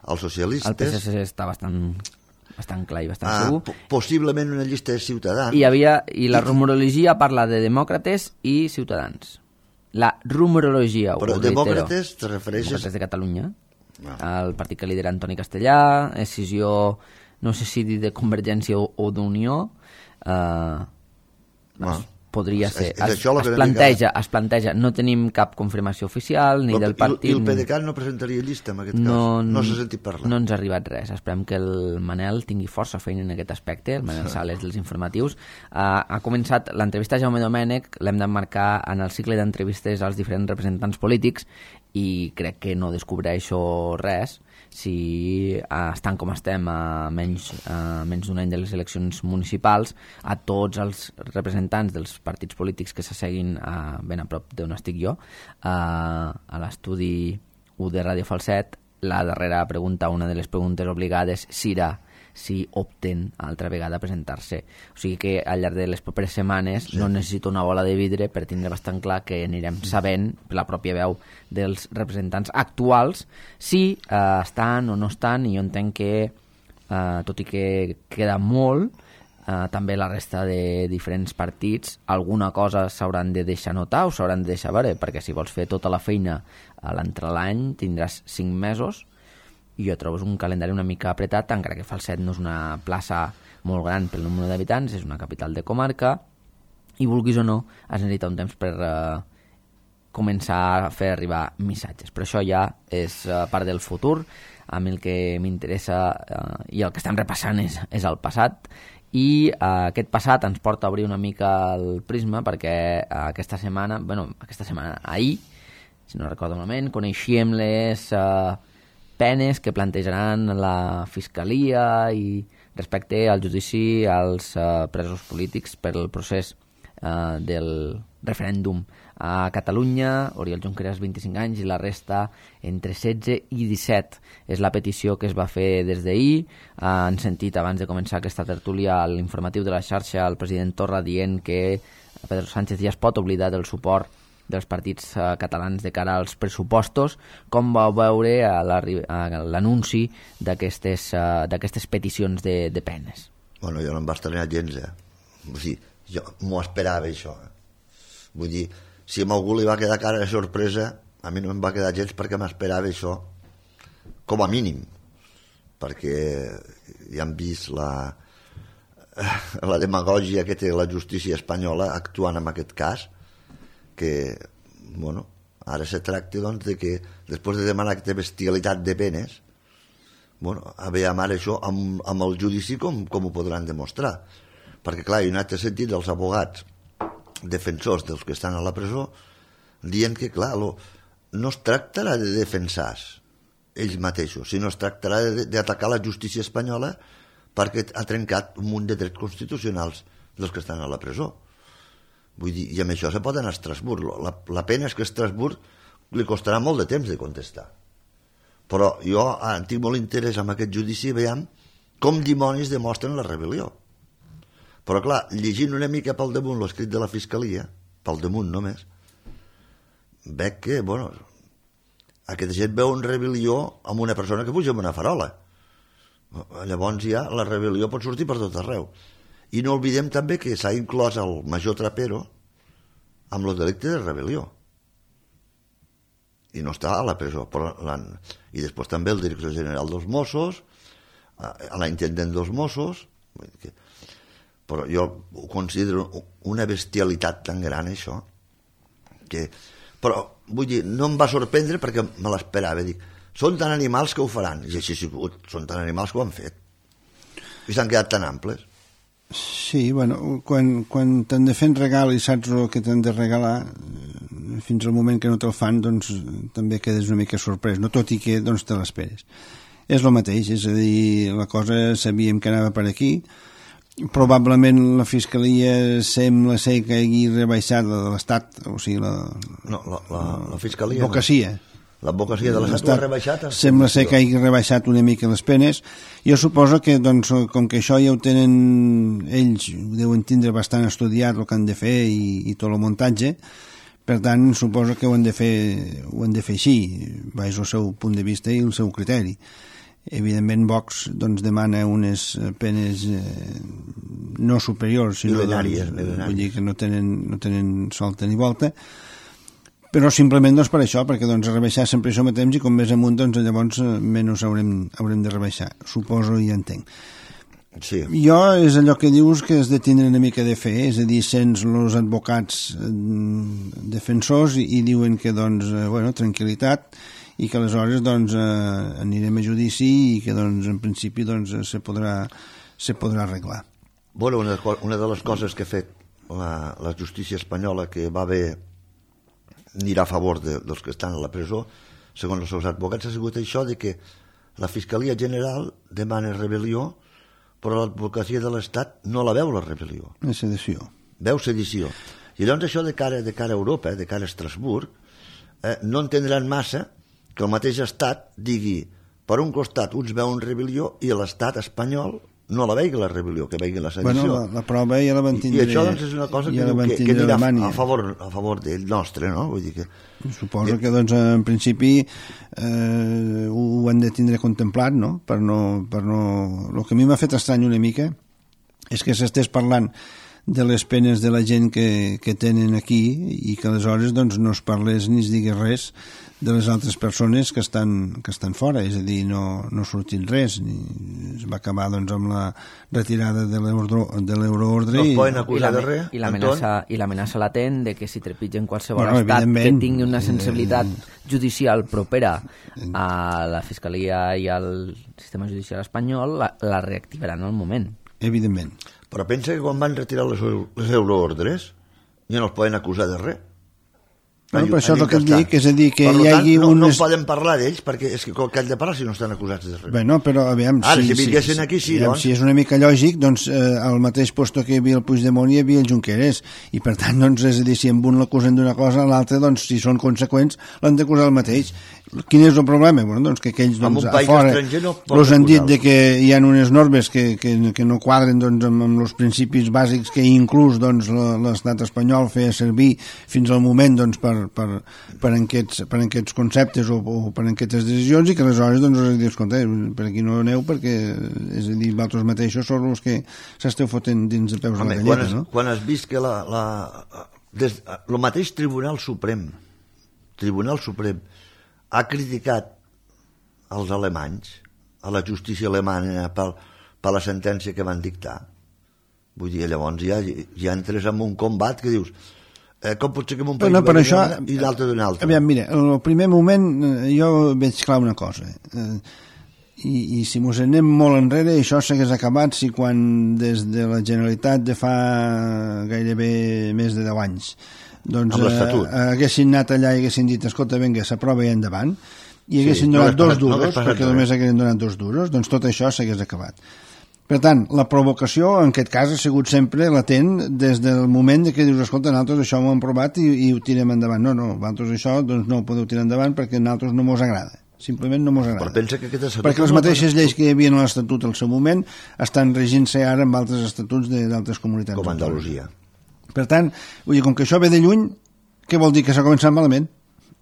els socialistes... El P S C està bastant, bastant clar i bastant ah, segur. po- possiblement una llista de Ciutadans. I, havia, I la rumorologia parla de demòcrates i ciutadans. La rumorologia, Però ho reitero. demòcrates te refereixes... Demòcrates de Catalunya. Ah. El partit que lidera Antoni Castellà, escissió, no sé si dir de Convergència o, o d'Unió, eh, Ah. podria És- ser. és Es, això el es, que planteja, es planteja, no tenim cap confirmació oficial ni Però, del i, partit. I el PDeCAT no presentaria llista, en aquest no, cas? No s'ha sentit parlar? No ens ha arribat res. Esperem que el Manel tingui força feina en aquest aspecte, el Manel Sales dels informatius. Uh, ha començat l'entrevista a Jaume Domènech, l'hem d'emmarcar en el cicle d'entrevistes als diferents representants polítics i crec que no descobreixo res si uh, estan com estem a menys, uh, menys d'un any de les eleccions municipals, a tots els representants dels partits polítics que s'asseguin uh, ben a prop d'on estic jo, uh, a l'estudi u de Ràdio Falset, la darrera pregunta, una de les preguntes obligades, serà si opten altra vegada a presentar-se. O sigui que al llarg de les properes setmanes sí. no necessito una bola de vidre per tindre bastant clar que anirem sabent per la pròpia veu dels representants actuals si eh, estan o no estan, i jo entenc que eh, tot i que queda molt, eh, també la resta de diferents partits alguna cosa s'hauran de deixar notar o s'hauran de deixar veure, perquè si vols fer tota la feina a l'entrelany tindràs cinc mesos i jo trobo un calendari una mica apretat, encara que Falset no és una plaça molt gran pel número d'habitants, és una capital de comarca i vulguis o no has necessitat un temps per eh, començar a fer arribar missatges, però això ja és eh, part del futur. A mi el que m'interessa eh, i el que estem repassant és, és el passat, i eh, aquest passat ens porta a obrir una mica el prisma perquè eh, aquesta setmana, bueno, aquesta setmana, ahir, si no recordo malament, coneixíem les eh, penes que plantejaran la Fiscalia i respecte al judici als eh, presos polítics per el procés eh, del referèndum a Catalunya. Oriol Junqueras, vint-i-cinc anys, i la resta entre setze i disset. És la petició que es va fer des d'ahir. Eh, han sentit abans de començar aquesta tertúlia a l'informatiu de la xarxa el president Torra dient que Pedro Sánchez ja es pot oblidar del suport dels partits eh, catalans de cara als pressupostos. Com vau veure a l'anunci d'aquestes, eh, d'aquestes peticions de, de penes? Bueno, jo no em va estranyar gens, eh? Vull dir, jo m'ho esperava, això. Eh? Vull dir, si a algú li va quedar cara de sorpresa, a mi no em va quedar gens perquè m'esperava això, com a mínim. Perquè ja hem vist la, la demagògia que té la justícia espanyola actuant en aquest cas, que, bueno, ara se tracta, doncs, de que després de demanar aquesta bestialitat de penes, bueno, aviam ara això amb, amb el judici com, com ho podran demostrar, perquè clar, hi ha un altre sentit dels abogats defensors dels que estan a la presó dient que clar, lo, no es tractarà de defensar ells mateixos, sinó es tractarà d'atacar la justícia espanyola perquè ha trencat un munt de drets constitucionals dels que estan a la presó. Vull dir, i amb això se pot anar a Estrasburg. La, la pena és que a Estrasburg li costarà molt de temps de contestar. Però jo ah, tinc molt interès en aquest judici, veiem com dimonis demostren la rebel·lió. Però clar, llegint una mica pel damunt l'escrit de la Fiscalia, pel damunt només, veig que, bueno, aquesta gent veu una rebel·lió amb una persona que puja amb una farola. Llavors ja la rebel·lió pot sortir per tot arreu. I no oblidem també que s'ha inclòs el major Trapero amb el delicte de rebel·lió. I no està a la presó. Però i després també el director general dels Mossos, a l'intendent dels Mossos, però jo ho considero una bestialitat tan gran, això, que... Però, vull dir, no em va sorprendre perquè me l'esperava. Dic, són tan animals que ho faran. I així ha sigut, són tan animals que ho han fet. I s'han quedat tan amples. Sí, bueno, quan, quan t'han de fer un regal i saps el que t'han de regalar, fins al moment que no te'l fan, doncs també quedes una mica sorprès, no? Tot i que doncs, te l'esperes. És el mateix, és a dir, la cosa sabíem que anava per aquí, probablement la Fiscalia sembla ser que hagi rebaixat la de l'Estat, o sigui, la... No, la, la, la Fiscalia... L'advocacia. No. L'advocacia de l'Estat ho ha rebaixat. Sembla ser que hagi rebaixat una mica les penes. Jo suposo que, doncs, com que això ja ho tenen ells, ho deuen tindre bastant estudiat el que han de fer i, i tot el muntatge, per tant, suposo que ho han de fer, ho han de fer així, baix el seu punt de vista i el seu criteri. Evidentment, Vox doncs, demana unes penes eh, no superiors, sinó milenàries, doncs, milenàries. Vull dir que no tenen, no tenen solta ni volta, però simplement doncs, per això, perquè doncs, rebaixar sempre això mateix i com més amunt, doncs, llavors menys haurem, haurem de rebaixar, suposo i entenc. Sí. Jo és allò que dius que has de tindre una mica de fe, és a dir, sents els advocats defensors i, i diuen que, doncs, bueno, tranquil·litat i que aleshores doncs, eh, anirem a judici i que doncs, en principi doncs, se, podrà, se podrà arreglar. Bueno, una, una de les coses que ha fet la, la justícia espanyola que va haver anirà a favor de, dels que estan a la presó, segons els seus advocats, ha sigut això de que la Fiscalia General demana rebel·lió, però l'advocacia de l'Estat no la veu, la rebel·lió. La sedició. Veu sedició. I llavors això de cara, de cara a Europa, de cara a Estrasburg, eh, no entendran massa que el mateix Estat digui, per un costat uns veuen rebel·lió i l'Estat espanyol no la veigui la rebel·lió, que veigui la sedició. Bueno, la, la prova ja la van tindre... I, i això doncs, és una cosa ja que, que, que anirà a favor, a favor d'ell nostre, no? Vull dir que... Suposo que, doncs, en principi eh, ho han de tindre contemplat, no? Per no, per no... El que a mi m'ha fet estrany una mica és que s'estés parlant de les penes de la gent que, que tenen aquí i que aleshores doncs, no es parlés ni es digués res de les altres persones que estan, que estan fora, és a dir, no, no ha sortit res, ni es va acabar doncs, amb la retirada de l'euroordre. No es i, poden acusar de res, i l'amenaça latent de que si trepitgen qualsevol bueno, estat que tingui una eh, sensibilitat judicial propera a la Fiscalia i al sistema judicial espanyol, la, la reactivaran al moment. Evidentment. Però pensa que quan van retirar les, les euroordres ja no els poden acusar de res. Bueno, però això és el que et dic, és a dir, que per hi hagi tant, no, unes... no poden parlar d'ells, perquè és que que han de parlar si no estan acusats de res. Bueno, però aviam... Ara, si, si vinguessin si, aquí, sí, aviam, doncs... Si és una mica lògic, doncs, eh, al mateix posto que hi havia el Puigdemont hi havia el Junqueras, i per tant, doncs, és a dir, si amb un l'acusen d'una cosa, l'altre, doncs, si són conseqüents, l'han d'acusar el mateix. Quin és el problema? Bueno, doncs que aquells, doncs, a fora, no els han dit de que hi ha unes normes que, que, que no quadren, doncs, amb, amb els principis bàsics que inclús, doncs, l'estat espanyol feia servir fins al moment, doncs, per, per, per, aquests, per aquests conceptes o, o per aquestes decisions, i que aleshores doncs us dius, escolta, per aquí no aneu perquè, és a dir, vosaltres mateixos sou els que s'esteu fotent dins de peus Home, a la galleta, quan has, no? Quan has vist que la, la, des, el mateix Tribunal Suprem Tribunal Suprem ha criticat els alemanys, a la justícia alemanya per, per la sentència que van dictar, vull dir, llavors ja, ja entres en un combat que dius eh, com pot ser que en un país no, per això, i l'altre d'un altre. Aviam, mira, el primer moment jo veig clar una cosa, eh, i, i si mos anem molt enrere això s'hagués acabat si quan des de la Generalitat de fa gairebé més de deu anys doncs eh, haguessin anat allà i haguessin dit, escolta, vinga, s'aprova i endavant, i haguessin sí, donat no dos duros, no perquè només haguessin donat dos duros, doncs tot això s'hagués acabat. Per tant, la provocació en aquest cas ha sigut sempre latent des del moment que dius, escolta, nosaltres això ho hem provat i, i ho tirem endavant. No, no, vosaltres això doncs no ho podeu tirar endavant perquè a nosaltres no mos agrada. Simplement no mos agrada. Però pensa que perquè les mateixes lleis que hi havia en l'Estatut al seu moment estan regint-se ara amb altres estatuts d'altres comunitats. Com Andalusia. Per tant, vull dir, com que això ve de lluny, què vol dir? Que s'ha començat malament.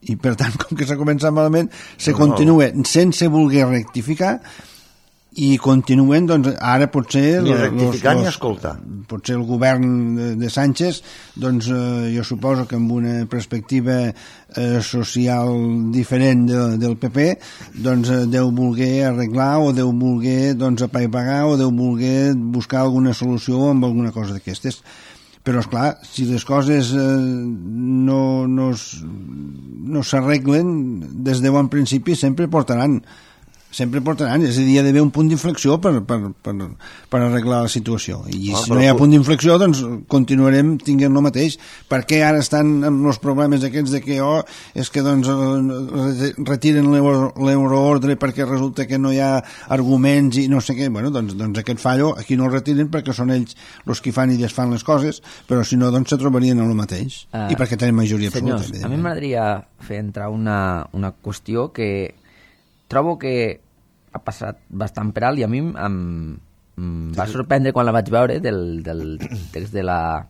I per tant, com que s'ha començat malament, se no, continua no. sense voler rectificar i continuen, doncs, ara potser ni rectificar los, los, ni escoltar potser el govern de, de Sánchez doncs eh, jo suposo que amb una perspectiva eh, social diferent de, del P P doncs eh, deu voler arreglar o deu voler doncs apaivagar o deu voler buscar alguna solució amb alguna cosa d'aquestes. Però, esclar, si les coses eh, no, no, no s'arreglen des de bon principi sempre portaran sempre portaran, és a dir, hi ha d'haver un punt d'inflexió per, per, per, per arreglar la situació, i ah, si no hi ha punt d'inflexió doncs continuarem tinguent el mateix. Per què ara estan amb els problemes aquests de que oh, és que doncs retiren l'euroordre perquè resulta que no hi ha arguments i no sé què, bueno, doncs, doncs aquest fallo aquí no el retiren perquè són ells els que fan i desfan les coses, però si no doncs se trobarien en el mateix, uh, i perquè tenen majoria senyors, absoluta. A mi m'agradaria fer entrar una, una qüestió que trobo que ha passat bastant per alt i a mi em, em va sorprendre quan la vaig veure del, del text de la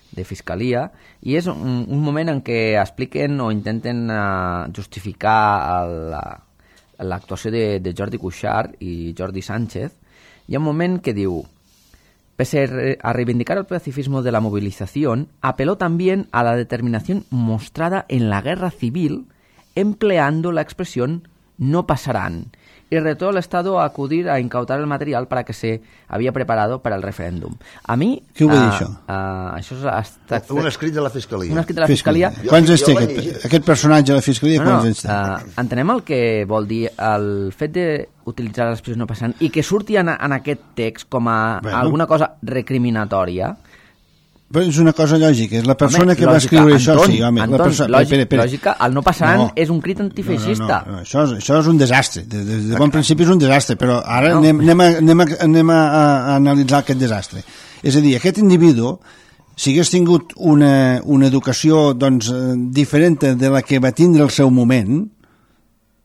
de Fiscalia, i és un, un moment en què expliquen o intenten uh, justificar l'actuació de, de Jordi Cuixart i Jordi Sánchez. Hi ha un moment que diu: pese a reivindicar el pacifismo de la movilización, apeló también a la determinación mostrada en la guerra civil empleando la expresión no pasarán, y retó al Estado a acudir a incautar el material para que se había preparado para el referéndum. A mi... Què ho va dir, això? Uh, això ha estat... Un escrit de la Fiscalia. Un escrit de la Fiscalia. Fiscalia. Quants anys té aquest, aquest personatge de la Fiscalia? No, quants no, anys té? uh, entenem el que vol dir el fet d'utilitzar l'expressió no passant i que surti en, en aquest text com a bueno. alguna cosa recriminatòria. Però és una cosa lògica, és la persona home, que lògica, va escriure Anton, això, sí, home. Anton, la perso... lògic, pere, pere. lògica, el no passaran no, és un crit antifeixista. No, no, no, això, és, això és un desastre, de, de, de bon principi és un desastre, però ara no. anem, anem, a, anem, a, anem a, a analitzar aquest desastre. És a dir, aquest individu, si hagués tingut una, una educació doncs, diferent de la que va tindre el seu moment,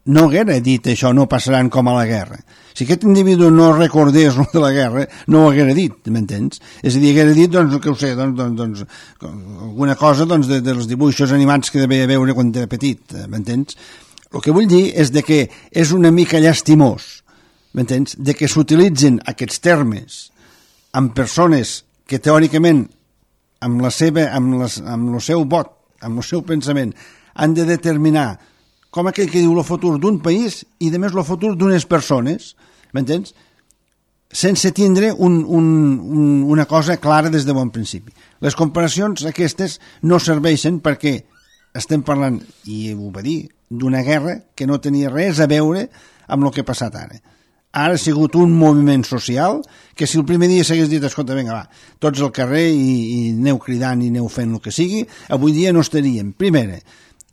no haguera dit això, no passaran com a la guerra. Si aquest individu no recordés de la guerra, no ho haguera dit, m'entens? És a dir, haguera dit, doncs, que ho sé, doncs, doncs, doncs alguna cosa doncs, de, dels dibuixos animats que devia veure quan era petit, m'entens? El que vull dir és de que és una mica llastimós, m'entens? De que s'utilitzen aquests termes amb persones que teòricament amb, la seva, amb, les, amb el seu vot, amb el seu pensament, han de determinar com aquell que diu el futur d'un país i, a més, el futur d'unes persones, m'entens? Sense tindre un, un, un, una cosa clara des de bon principi. Les comparacions aquestes no serveixen perquè estem parlant, i ho va dir, d'una guerra que no tenia res a veure amb el que ha passat ara. Ara ha sigut un moviment social que si el primer dia s'hagués dit, escolta, vinga, va, tots al carrer i, i aneu cridant i aneu fent el que sigui, avui dia no estaríem. Primera,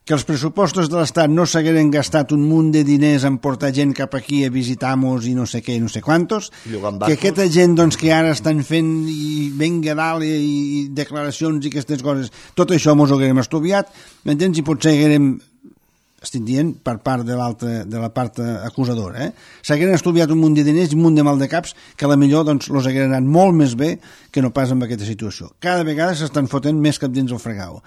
que els pressupostos de l'Estat no s'hagueren gastat un munt de diners en portar gent cap aquí a visitar-nos i no sé què i no sé quantos, que aquesta gent doncs, que ara estan fent i venga dalt i, i declaracions i aquestes coses, tot això mos ho haguérem estudiat, m'entens? I potser haguérem, estic dient per part de l'altra, de la part acusadora, eh? s'hagueren estudiat un munt de diners i un munt de mal de caps que a la millor doncs, los hagueren anat molt més bé que no pas amb aquesta situació. Cada vegada s'estan fotent més cap dins el fregau.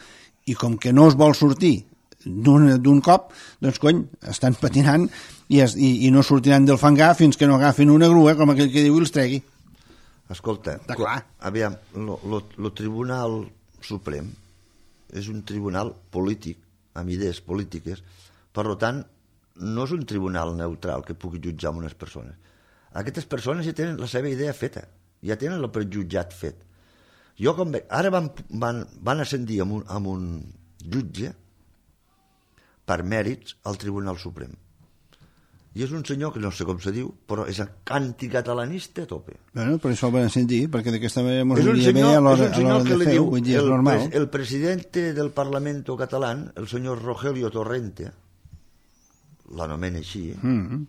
i com que no es vol sortir d'un cop, doncs cony, estan patinant i, es, i, i no sortiran del fangar fins que no agafin una grua, com aquell que diu, i els tregui. Escolta, aviam, el Tribunal Suprem és un tribunal polític, amb idees polítiques, per tant, no és un tribunal neutral que pugui jutjar unes persones. Aquestes persones ja tenen la seva idea feta, ja tenen el prejutjat fet. Jo com veig, ara van, van, van ascendir amb un, amb un jutge per mèrits al Tribunal Suprem. I és un senyor que no sé com se diu, però és anticatalanista a tope. Bueno, per això el van ascendir, perquè d'aquesta manera mos aniria bé a l'hora de fer-ho, vull dir, és normal. El presidente del Parlamento catalán, el senyor Rogelio Torrente, l'anomena així, mm-hmm.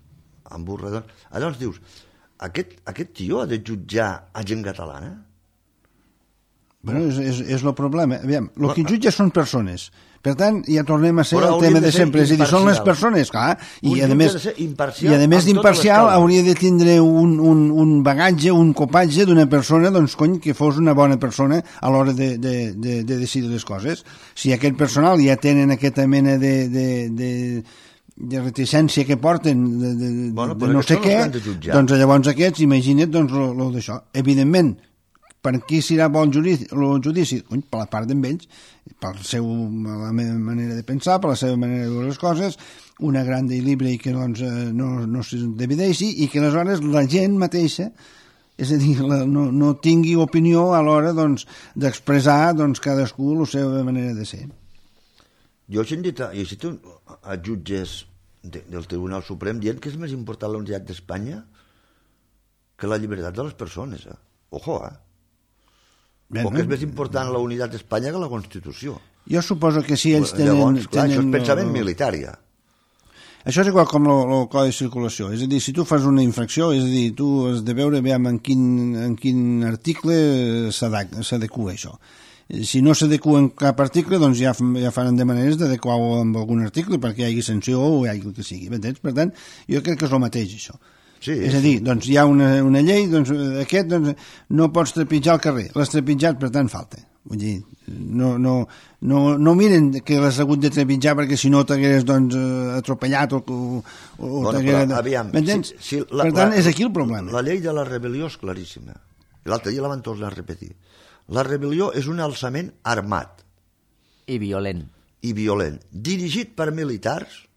amb un redon. Llavors dius, aquest, aquest tio ha de jutjar a gent catalana? Bueno, és, és, és el problema. Aviam, el que jutja són persones. Per tant, ja tornem a ser el tema de sempre. És a dir, són les persones, clar, i a més i a més d'imparcial hauria de tindre un, un, un bagatge, un copatge d'una persona, doncs, cony, que fos una bona persona a l'hora de, de, de, de decidir les coses. Si aquest personal ja tenen aquesta mena de... de, de de reticència que porten de, de, bueno, de no sé què, doncs llavors aquests, imagina't, doncs, lo, lo d'això. Evidentment, per qui serà bon judici? El judici? Cony, per la part d'ells, per seu, la meva manera de pensar, per la seva manera de veure les coses, una gran i libre i que doncs, no, no se divideixi i que aleshores la gent mateixa, és a dir, la, no, no tingui opinió a l'hora doncs, d'expressar doncs, cadascú la seva manera de ser. Jo he sentit a, he sentit a jutges de, del Tribunal Suprem dient que és més important la unitat d'Espanya que la llibertat de les persones. Eh? Ojo, eh? Ben, o que és més important la unitat d'Espanya que la Constitució. Jo suposo que si ells tenen... Llavors, clar, tenen això és pensament el... militar, ja. Això és igual com el codi de circulació. És a dir, si tu fas una infracció, és a dir, tu has de veure aviam en quin, en quin article s'adequa això. Si no s'adequa en cap article, doncs ja, ja faran de maneres d'adequar-ho amb algun article perquè hi hagi sanció o hi hagi el que sigui. M'entens? Per tant, jo crec que és el mateix, això. Sí, és a dir, doncs hi ha una, una llei, doncs aquest doncs, no pots trepitjar al carrer. L'has trepitjat, per tant, falta. Vull dir, no, no, no, no miren que l'has hagut de trepitjar perquè si no t'hagués doncs, atropellat o, o, o bueno, t'hagués... Aviam, m'entens? si, si la, per tant, la, és aquí el problema. La llei de la rebel·lió és claríssima. L'altre dia la van tornar a repetir. La rebel·lió és un alçament armat. I violent. I violent. Dirigit per militars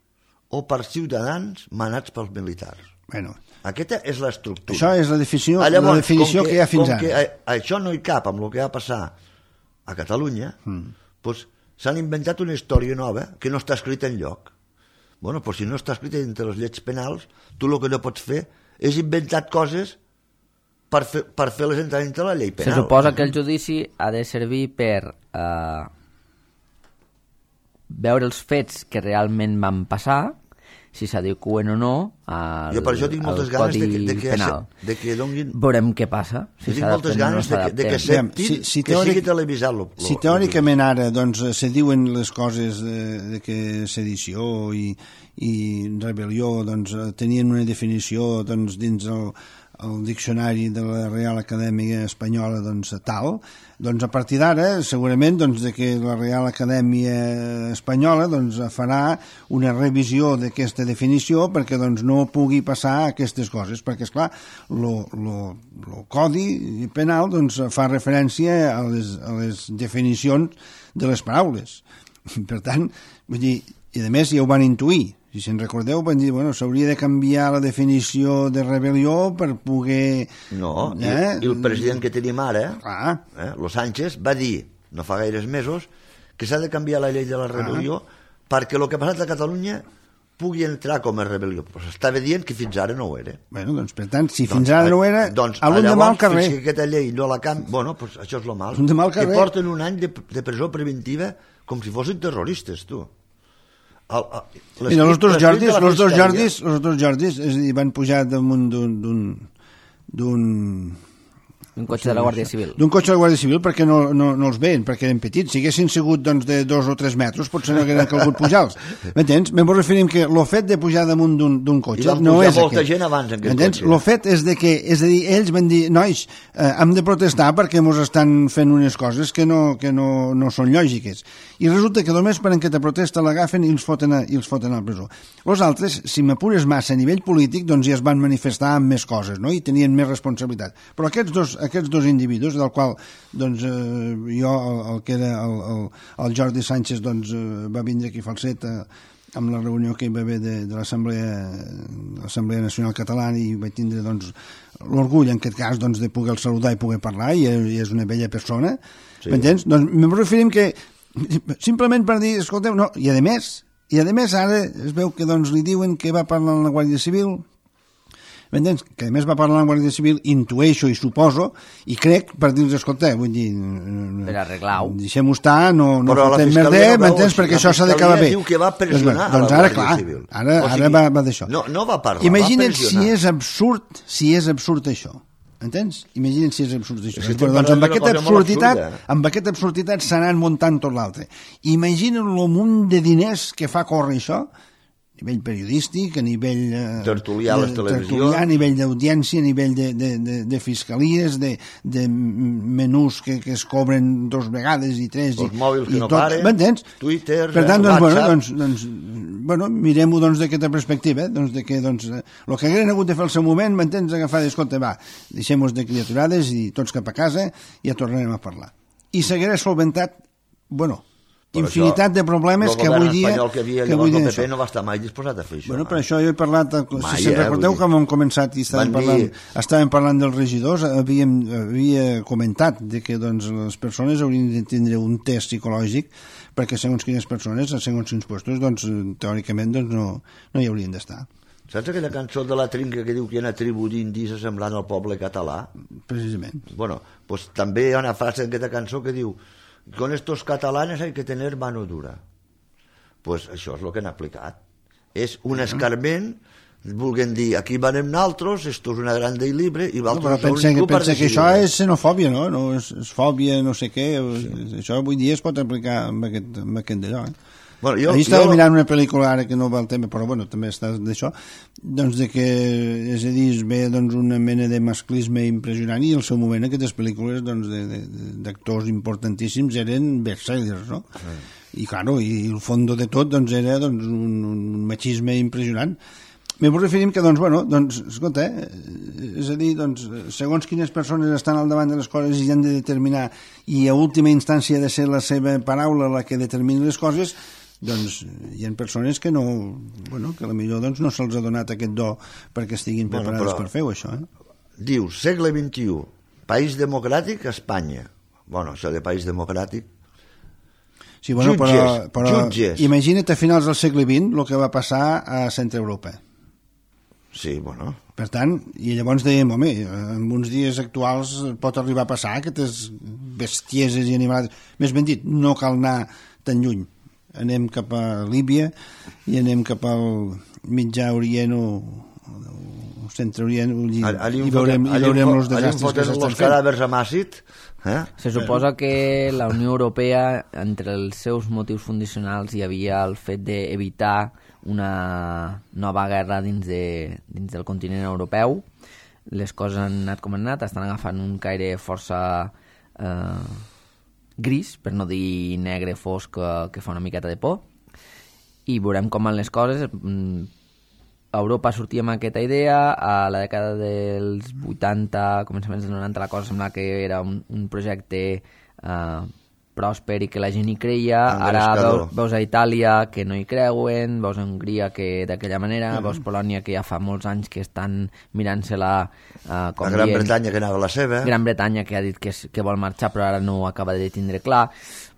o per ciutadans manats pels militars. Bueno, aquesta és l'estructura. Això és la definició, ah, llavors, la definició que, que hi ha fins com ara. Que a, això no hi cap amb el que va passar a Catalunya, mm. doncs s'han inventat una història nova que no està escrita enlloc. Bueno, doncs si no està escrita entre les lleis penals, tu el que no pots fer és inventar coses per fer, per fer les entrar dintre la llei penal. Se suposa que el judici ha de servir per eh, veure els fets que realment van passar, si s'adequen o no al, jo per això tinc moltes ganes de que, de que, penal. De que donguin... Veurem què passa. Si tinc moltes ganes no de, que, de que acceptin si, si que teòric, sigui televisat. Lo, lo, si teòricament ara doncs, se diuen les coses de, de que sedició i, i rebel·lió doncs, tenien una definició doncs, dins el, el diccionari de la Real Acadèmia Espanyola doncs, tal, doncs a partir d'ara segurament doncs, de que la Real Acadèmia Espanyola doncs, farà una revisió d'aquesta definició perquè doncs, no pugui passar aquestes coses, perquè esclar el codi penal doncs, fa referència a les, a les definicions de les paraules. Per tant, vull dir, i a més ja ho van intuir. Si se'n recordeu, van dir, bueno, s'hauria de canviar la definició de rebel·lió per poder... No, eh? i, i el president que tenim ara, ah. eh, Los Sánchez, va dir, no fa gaires mesos, que s'ha de canviar la llei de la rebel·lió ah. perquè el que ha passat a Catalunya pugui entrar com a rebel·lió. Però s'estava dient que fins ara no ho era. Bueno, doncs, per tant, si doncs, fins ara no ho era, doncs, a l'un de mal carrer... Fins que aquesta llei no la canvi... Bueno, doncs això és lo mal. De mal carrer. Que porten un any de, de presó preventiva com si fossin terroristes, tu. El, el, Mira, els dos Jordis, els dos Jordis, els dos Jordis, és a dir, van pujar damunt d'un d'un d'un Un cotxe de la Guàrdia Civil. D'un cotxe de la Guàrdia Civil perquè no, no, no els veien, perquè eren petits. Si haguessin sigut doncs, de dos o tres metres, potser no hagueren calgut pujar-los. M'entens? Me'n referim que el fet de pujar damunt d'un cotxe no és molta aquest. gent abans en aquest M'entens? cotxe. El fet és de que, és a dir, ells van dir, nois, eh, hem de protestar perquè ens estan fent unes coses que no, que no, no són lògiques. I resulta que només per aquesta protesta l'agafen i els foten a, i els foten a la presó. Els altres, si m'apures massa a nivell polític, doncs ja es van manifestar amb més coses, no? I tenien més responsabilitat. Però aquests dos, aquests dos individus, del qual doncs, eh, jo, el, el que era el, el, el Jordi Sánchez, doncs, eh, va vindre aquí Falset eh, amb la reunió que hi va haver de, de l'Assemblea Nacional Catalana, i vaig tindre doncs, l'orgull en aquest cas doncs, de poder saludar i poder parlar, i, i és una bella persona, sí. M'entens? Doncs me referim que simplement per dir, escolteu, no, i a més, i a més ara es veu que doncs, li diuen que va parlar amb la Guàrdia Civil, m'entens? Que a més va parlar amb la Guàrdia Civil, intueixo i suposo, i crec per dir-los, escolta, vull dir... Per arreglar-ho. Deixem-ho estar, no, no fotem merder, m'entens? Perquè això s'ha d'acabar bé. Diu que va pressionar doncs, doncs, a la ara, Guàrdia clar, Civil. Ara, o sigui, ara va, va d'això. No, no va parlar, Imagina't va pressionar. si és absurd, si és absurd això. Entens? Imagina't si és absurd això. És que Però, doncs, amb aquesta absurditat, absurda. amb aquesta absurditat s'anan muntant tot l'altre. Imagina't el munt de diners que fa córrer això, a nivell periodístic, a nivell eh, tertulià a les televisions, a nivell d'audiència, a nivell de, de, de, de fiscalies, de, de menús que, que es cobren dos vegades i tres. Els i, mòbils que i no tot, paren, m'entens? Twitter, per tant, doncs, WhatsApp... bueno, doncs, doncs, bueno, mirem-ho doncs, d'aquesta perspectiva, eh? doncs, de que doncs, el que hagueren hagut de fer al seu moment, m'entens, agafar, escolta, va, deixem-nos de criaturades i tots cap a casa i ja tornarem a parlar. I s'haguera solventat, bueno, per infinitat això, de problemes que avui dia... El govern espanyol que havia llavors el P P no va estar mai disposat a fer això. Bueno, per això jo he parlat, mai, si se'n recordeu eh, que hem començat i estàvem parlant, dir... estàvem parlant dels regidors, havíem, havia comentat de que doncs, les persones haurien de tindre un test psicològic perquè segons quines persones, a segons quins puestos, doncs, teòricament doncs, no, no hi haurien d'estar. Saps aquella cançó de la Trinca que diu que hi ha una tribu d'indis semblant al poble català? Precisament. Bueno, pues també hi ha una frase en aquesta cançó que diu con estos catalanes hay que tener mano dura. Pues això és el que han aplicat. És un escarment, vulguem dir, aquí venem naltros, esto és una grande i libre, i no, però pensa, que, pensa que això és xenofòbia, no? no és, és fòbia, no sé què. Sí. Això avui dia es pot aplicar amb aquest, amb aquest d'allò, eh? Bueno, jo, Ahir estava jo... mirant una pel·lícula ara que no va el tema, però bueno, també està d'això, doncs de que, és a dir, es ve doncs, una mena de masclisme impressionant, i al seu moment aquestes pel·lícules doncs, d'actors importantíssims eren bestsellers, no? Sí. I, claro, i el fons de tot doncs, era doncs, un, un machisme impressionant. Me referim que, doncs, bueno, doncs, escolta, eh, és a dir, doncs, segons quines persones estan al davant de les coses i han de determinar, i a última instància ha de ser la seva paraula la que determini les coses, doncs hi ha persones que no, bueno, que potser doncs, no se'ls ha donat aquest do perquè estiguin preparades bueno, per fer-ho, això. Eh? Diu, segle vint-i-u, país democràtic, Espanya. Bueno, això de país democràtic... Sí, bueno, jutges, però, però jutges. Imagina't a finals del segle vint el que va passar a Centre Europa. Sí, bueno... Per tant, i llavors dèiem, home, en uns dies actuals pot arribar a passar aquestes bestieses i animals... Més ben dit, no cal anar tan lluny. Anem cap a Líbia i anem cap al mitjà Orient o, o centre Orient i, i veurem, i veurem els desastres que s'estan fent. Els cadàvers a Màcid, eh? Se suposa que la Unió Europea, entre els seus motius fundacionals, hi havia el fet d'evitar una nova guerra dins, de, dins del continent europeu. Les coses han anat com han anat, estan agafant un caire força... Eh, gris, per no dir negre fosc, que, que fa una miqueta de por, i veurem com van les coses. A Europa sortia amb aquesta idea, a la dècada dels vuitanta, començaments dels noranta, la cosa semblava que era un, un projecte eh, pròsper i que la gent hi creia. Ara veus, veus a Itàlia que no hi creuen, veus a Hongria que d'aquella manera, mm. veus Polònia que ja fa molts anys que estan mirant-se-la uh, com la Gran dient, Bretanya que anava a la seva. Gran Bretanya que ha dit que, que vol marxar però ara no acaba de tindre clar.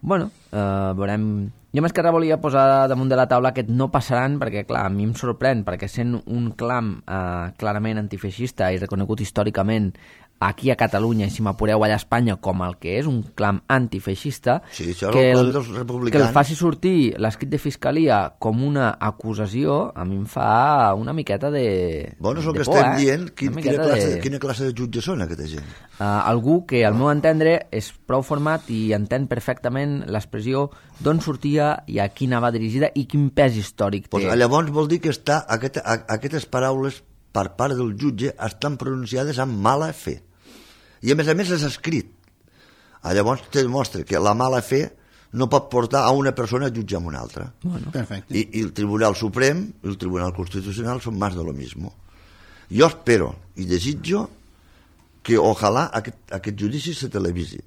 Bueno, uh, veurem... Jo més que res volia posar damunt de la taula que no passaran perquè, clar, a mi em sorprèn perquè sent un clam uh, clarament antifeixista i reconegut històricament aquí a Catalunya, i si m'apureu allà a Espanya, com el que és un clam antifeixista, sí, això que, el, el, dels republicans... que el faci sortir l'escrit de fiscalia com una acusació, a mi em fa una miqueta de Bueno, és el de que por, estem eh? dient, quin, quina, classe, de... de... quina classe de jutges són aquesta gent? Uh, algú que, al meu entendre, és prou format i entén perfectament l'expressió d'on sortia i a qui anava dirigida i quin pes històric té. Pues, llavors vol dir que està, aquest, a, aquestes paraules per part del jutge estan pronunciades amb mala fe. I a més a més és escrit. Llavors te demostra que la mala fe no pot portar a una persona a jutjar amb una altra. Bueno, perfecte. I, I el Tribunal Suprem i el Tribunal Constitucional són més de lo mismo. Jo espero i desitjo que ojalà aquest, aquest judici se televisi.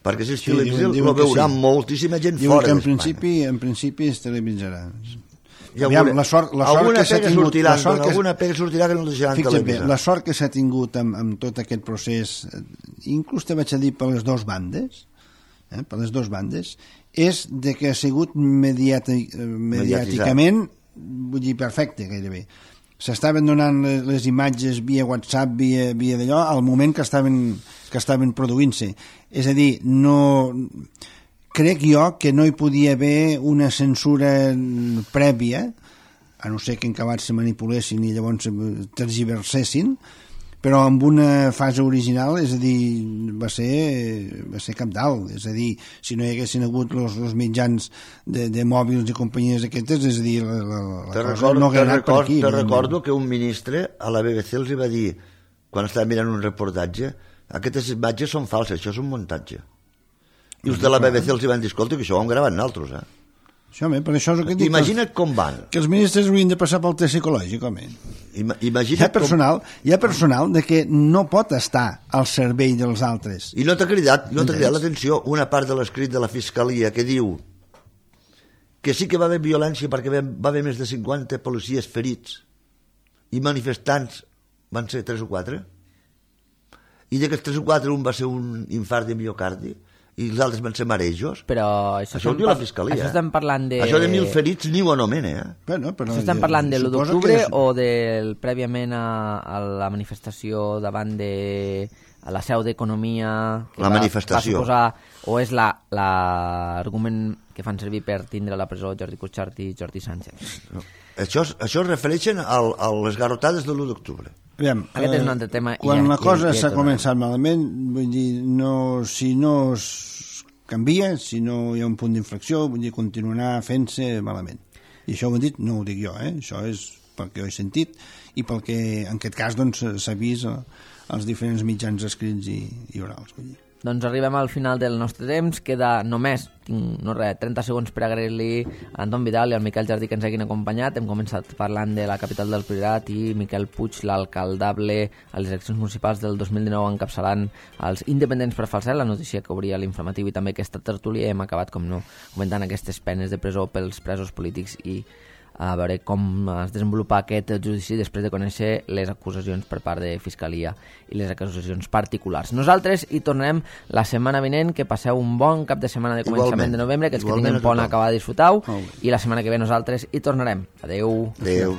Perquè si es Sí, televisa diuen- diuen lo que veurà sí. moltíssima gent Diuen fora que en d'Espanya. principi, en principi es televisarà. Ja Aviam, veuré. la sort, la sort alguna que s'ha pega tingut... sortirà, la sort que, alguna pega sortirà que no el deixaran fixa't bé, televisar. la sort que s'ha tingut amb, amb tot aquest procés, eh, inclús te vaig a dir per les dues bandes, eh, per les dues bandes, és de que ha sigut mediati, mediàticament, vull dir, perfecte, gairebé. S'estaven donant les, les imatges via WhatsApp, via, via d'allò, al moment que estaven, que estaven produint-se. És a dir, no... Crec jo que no hi podia haver una censura prèvia, a no ser que en acabat se manipulessin i llavors tergiversessin, però amb una fase original, és a dir, va ser, va ser cabdal. És a dir, si no hi haguessin hagut els, els mitjans de, de mòbils i companyies aquestes, és a dir, la, la, la te cosa recordo, no hauria te anat per recordo, aquí. te no, recordo que un ministre a la B B C els hi va dir, quan estava mirant un reportatge, aquestes imatges són falses, això és un muntatge. I els de la B B C els hi van dir, escolta, que això ho hem gravat nosaltres, eh? Això, bé, per això és el que dic. Imagina't com van. Que els ministres haurien de passar pel test psicològic, home. Ima, Hi ha imagina't personal, hi ha personal de que no pot estar al servei dels altres. com... I no t'ha cridat, no t'ha Entens? cridat l'atenció una part de l'escrit de la Fiscalia que diu que sí que va haver violència perquè va va haver més de cinquanta policies ferits i manifestants van ser tres o quatre, i d'aquests tres o quatre un va ser un infart de miocardi i els altres van ser marejos. Però això, Això ho estem diu la par- Fiscalia. Això eh? estem parlant de... Això de mil ferits ni ho anomena, eh? Bueno, però Això estem jo- parlant de l'u suposo d'octubre que és- o del prèviament a, a la manifestació davant de a la seu d'Economia que La va, manifestació. va suposar, o és la- l'argument la, que fan servir per tindre a la presó Jordi Cuixart i Jordi Sánchez? Això, això es refereixen al, a les garrotades de l'u d'octubre. Aviam, Aquest eh, és un altre tema i Quan ja- la cosa ja- ja s'ha tornarem. començat malament, vull dir, no, si no es canvia, si no hi ha un punt d'inflexió, vull dir, continuarà fent-se malament. I això ho he dit, no ho dic jo, eh? Això és pel que ho he sentit i pel que, en aquest cas, doncs, s'ha vist als diferents mitjans escrits i, i orals, vull dir. Doncs arribem al final del nostre temps. Queda només, tinc, no res, trenta segons per agrair-li a Anton Vidal i al Miquel Jardí que ens hagin acompanyat. Hem començat parlant de la capital del Priorat i Miquel Puig, l'alcaldable a les eleccions municipals del dos mil dinou, encapçalant els independents per falset, la notícia que obria l'informatiu i també aquesta tertúlia. Hem acabat, com no, comentant aquestes penes de presó pels presos polítics i a veure com es desenvolupa aquest judici després de conèixer les acusacions per part de Fiscalia i les acusacions particulars. Nosaltres hi tornarem la setmana vinent. Que passeu un bon cap de setmana de començament Igualment. de novembre, que els que Igualment tinguin a pont tothom. acabar de disfrutar-ho, Molt bé. i la setmana que ve nosaltres hi tornarem. Adeu. Adéu.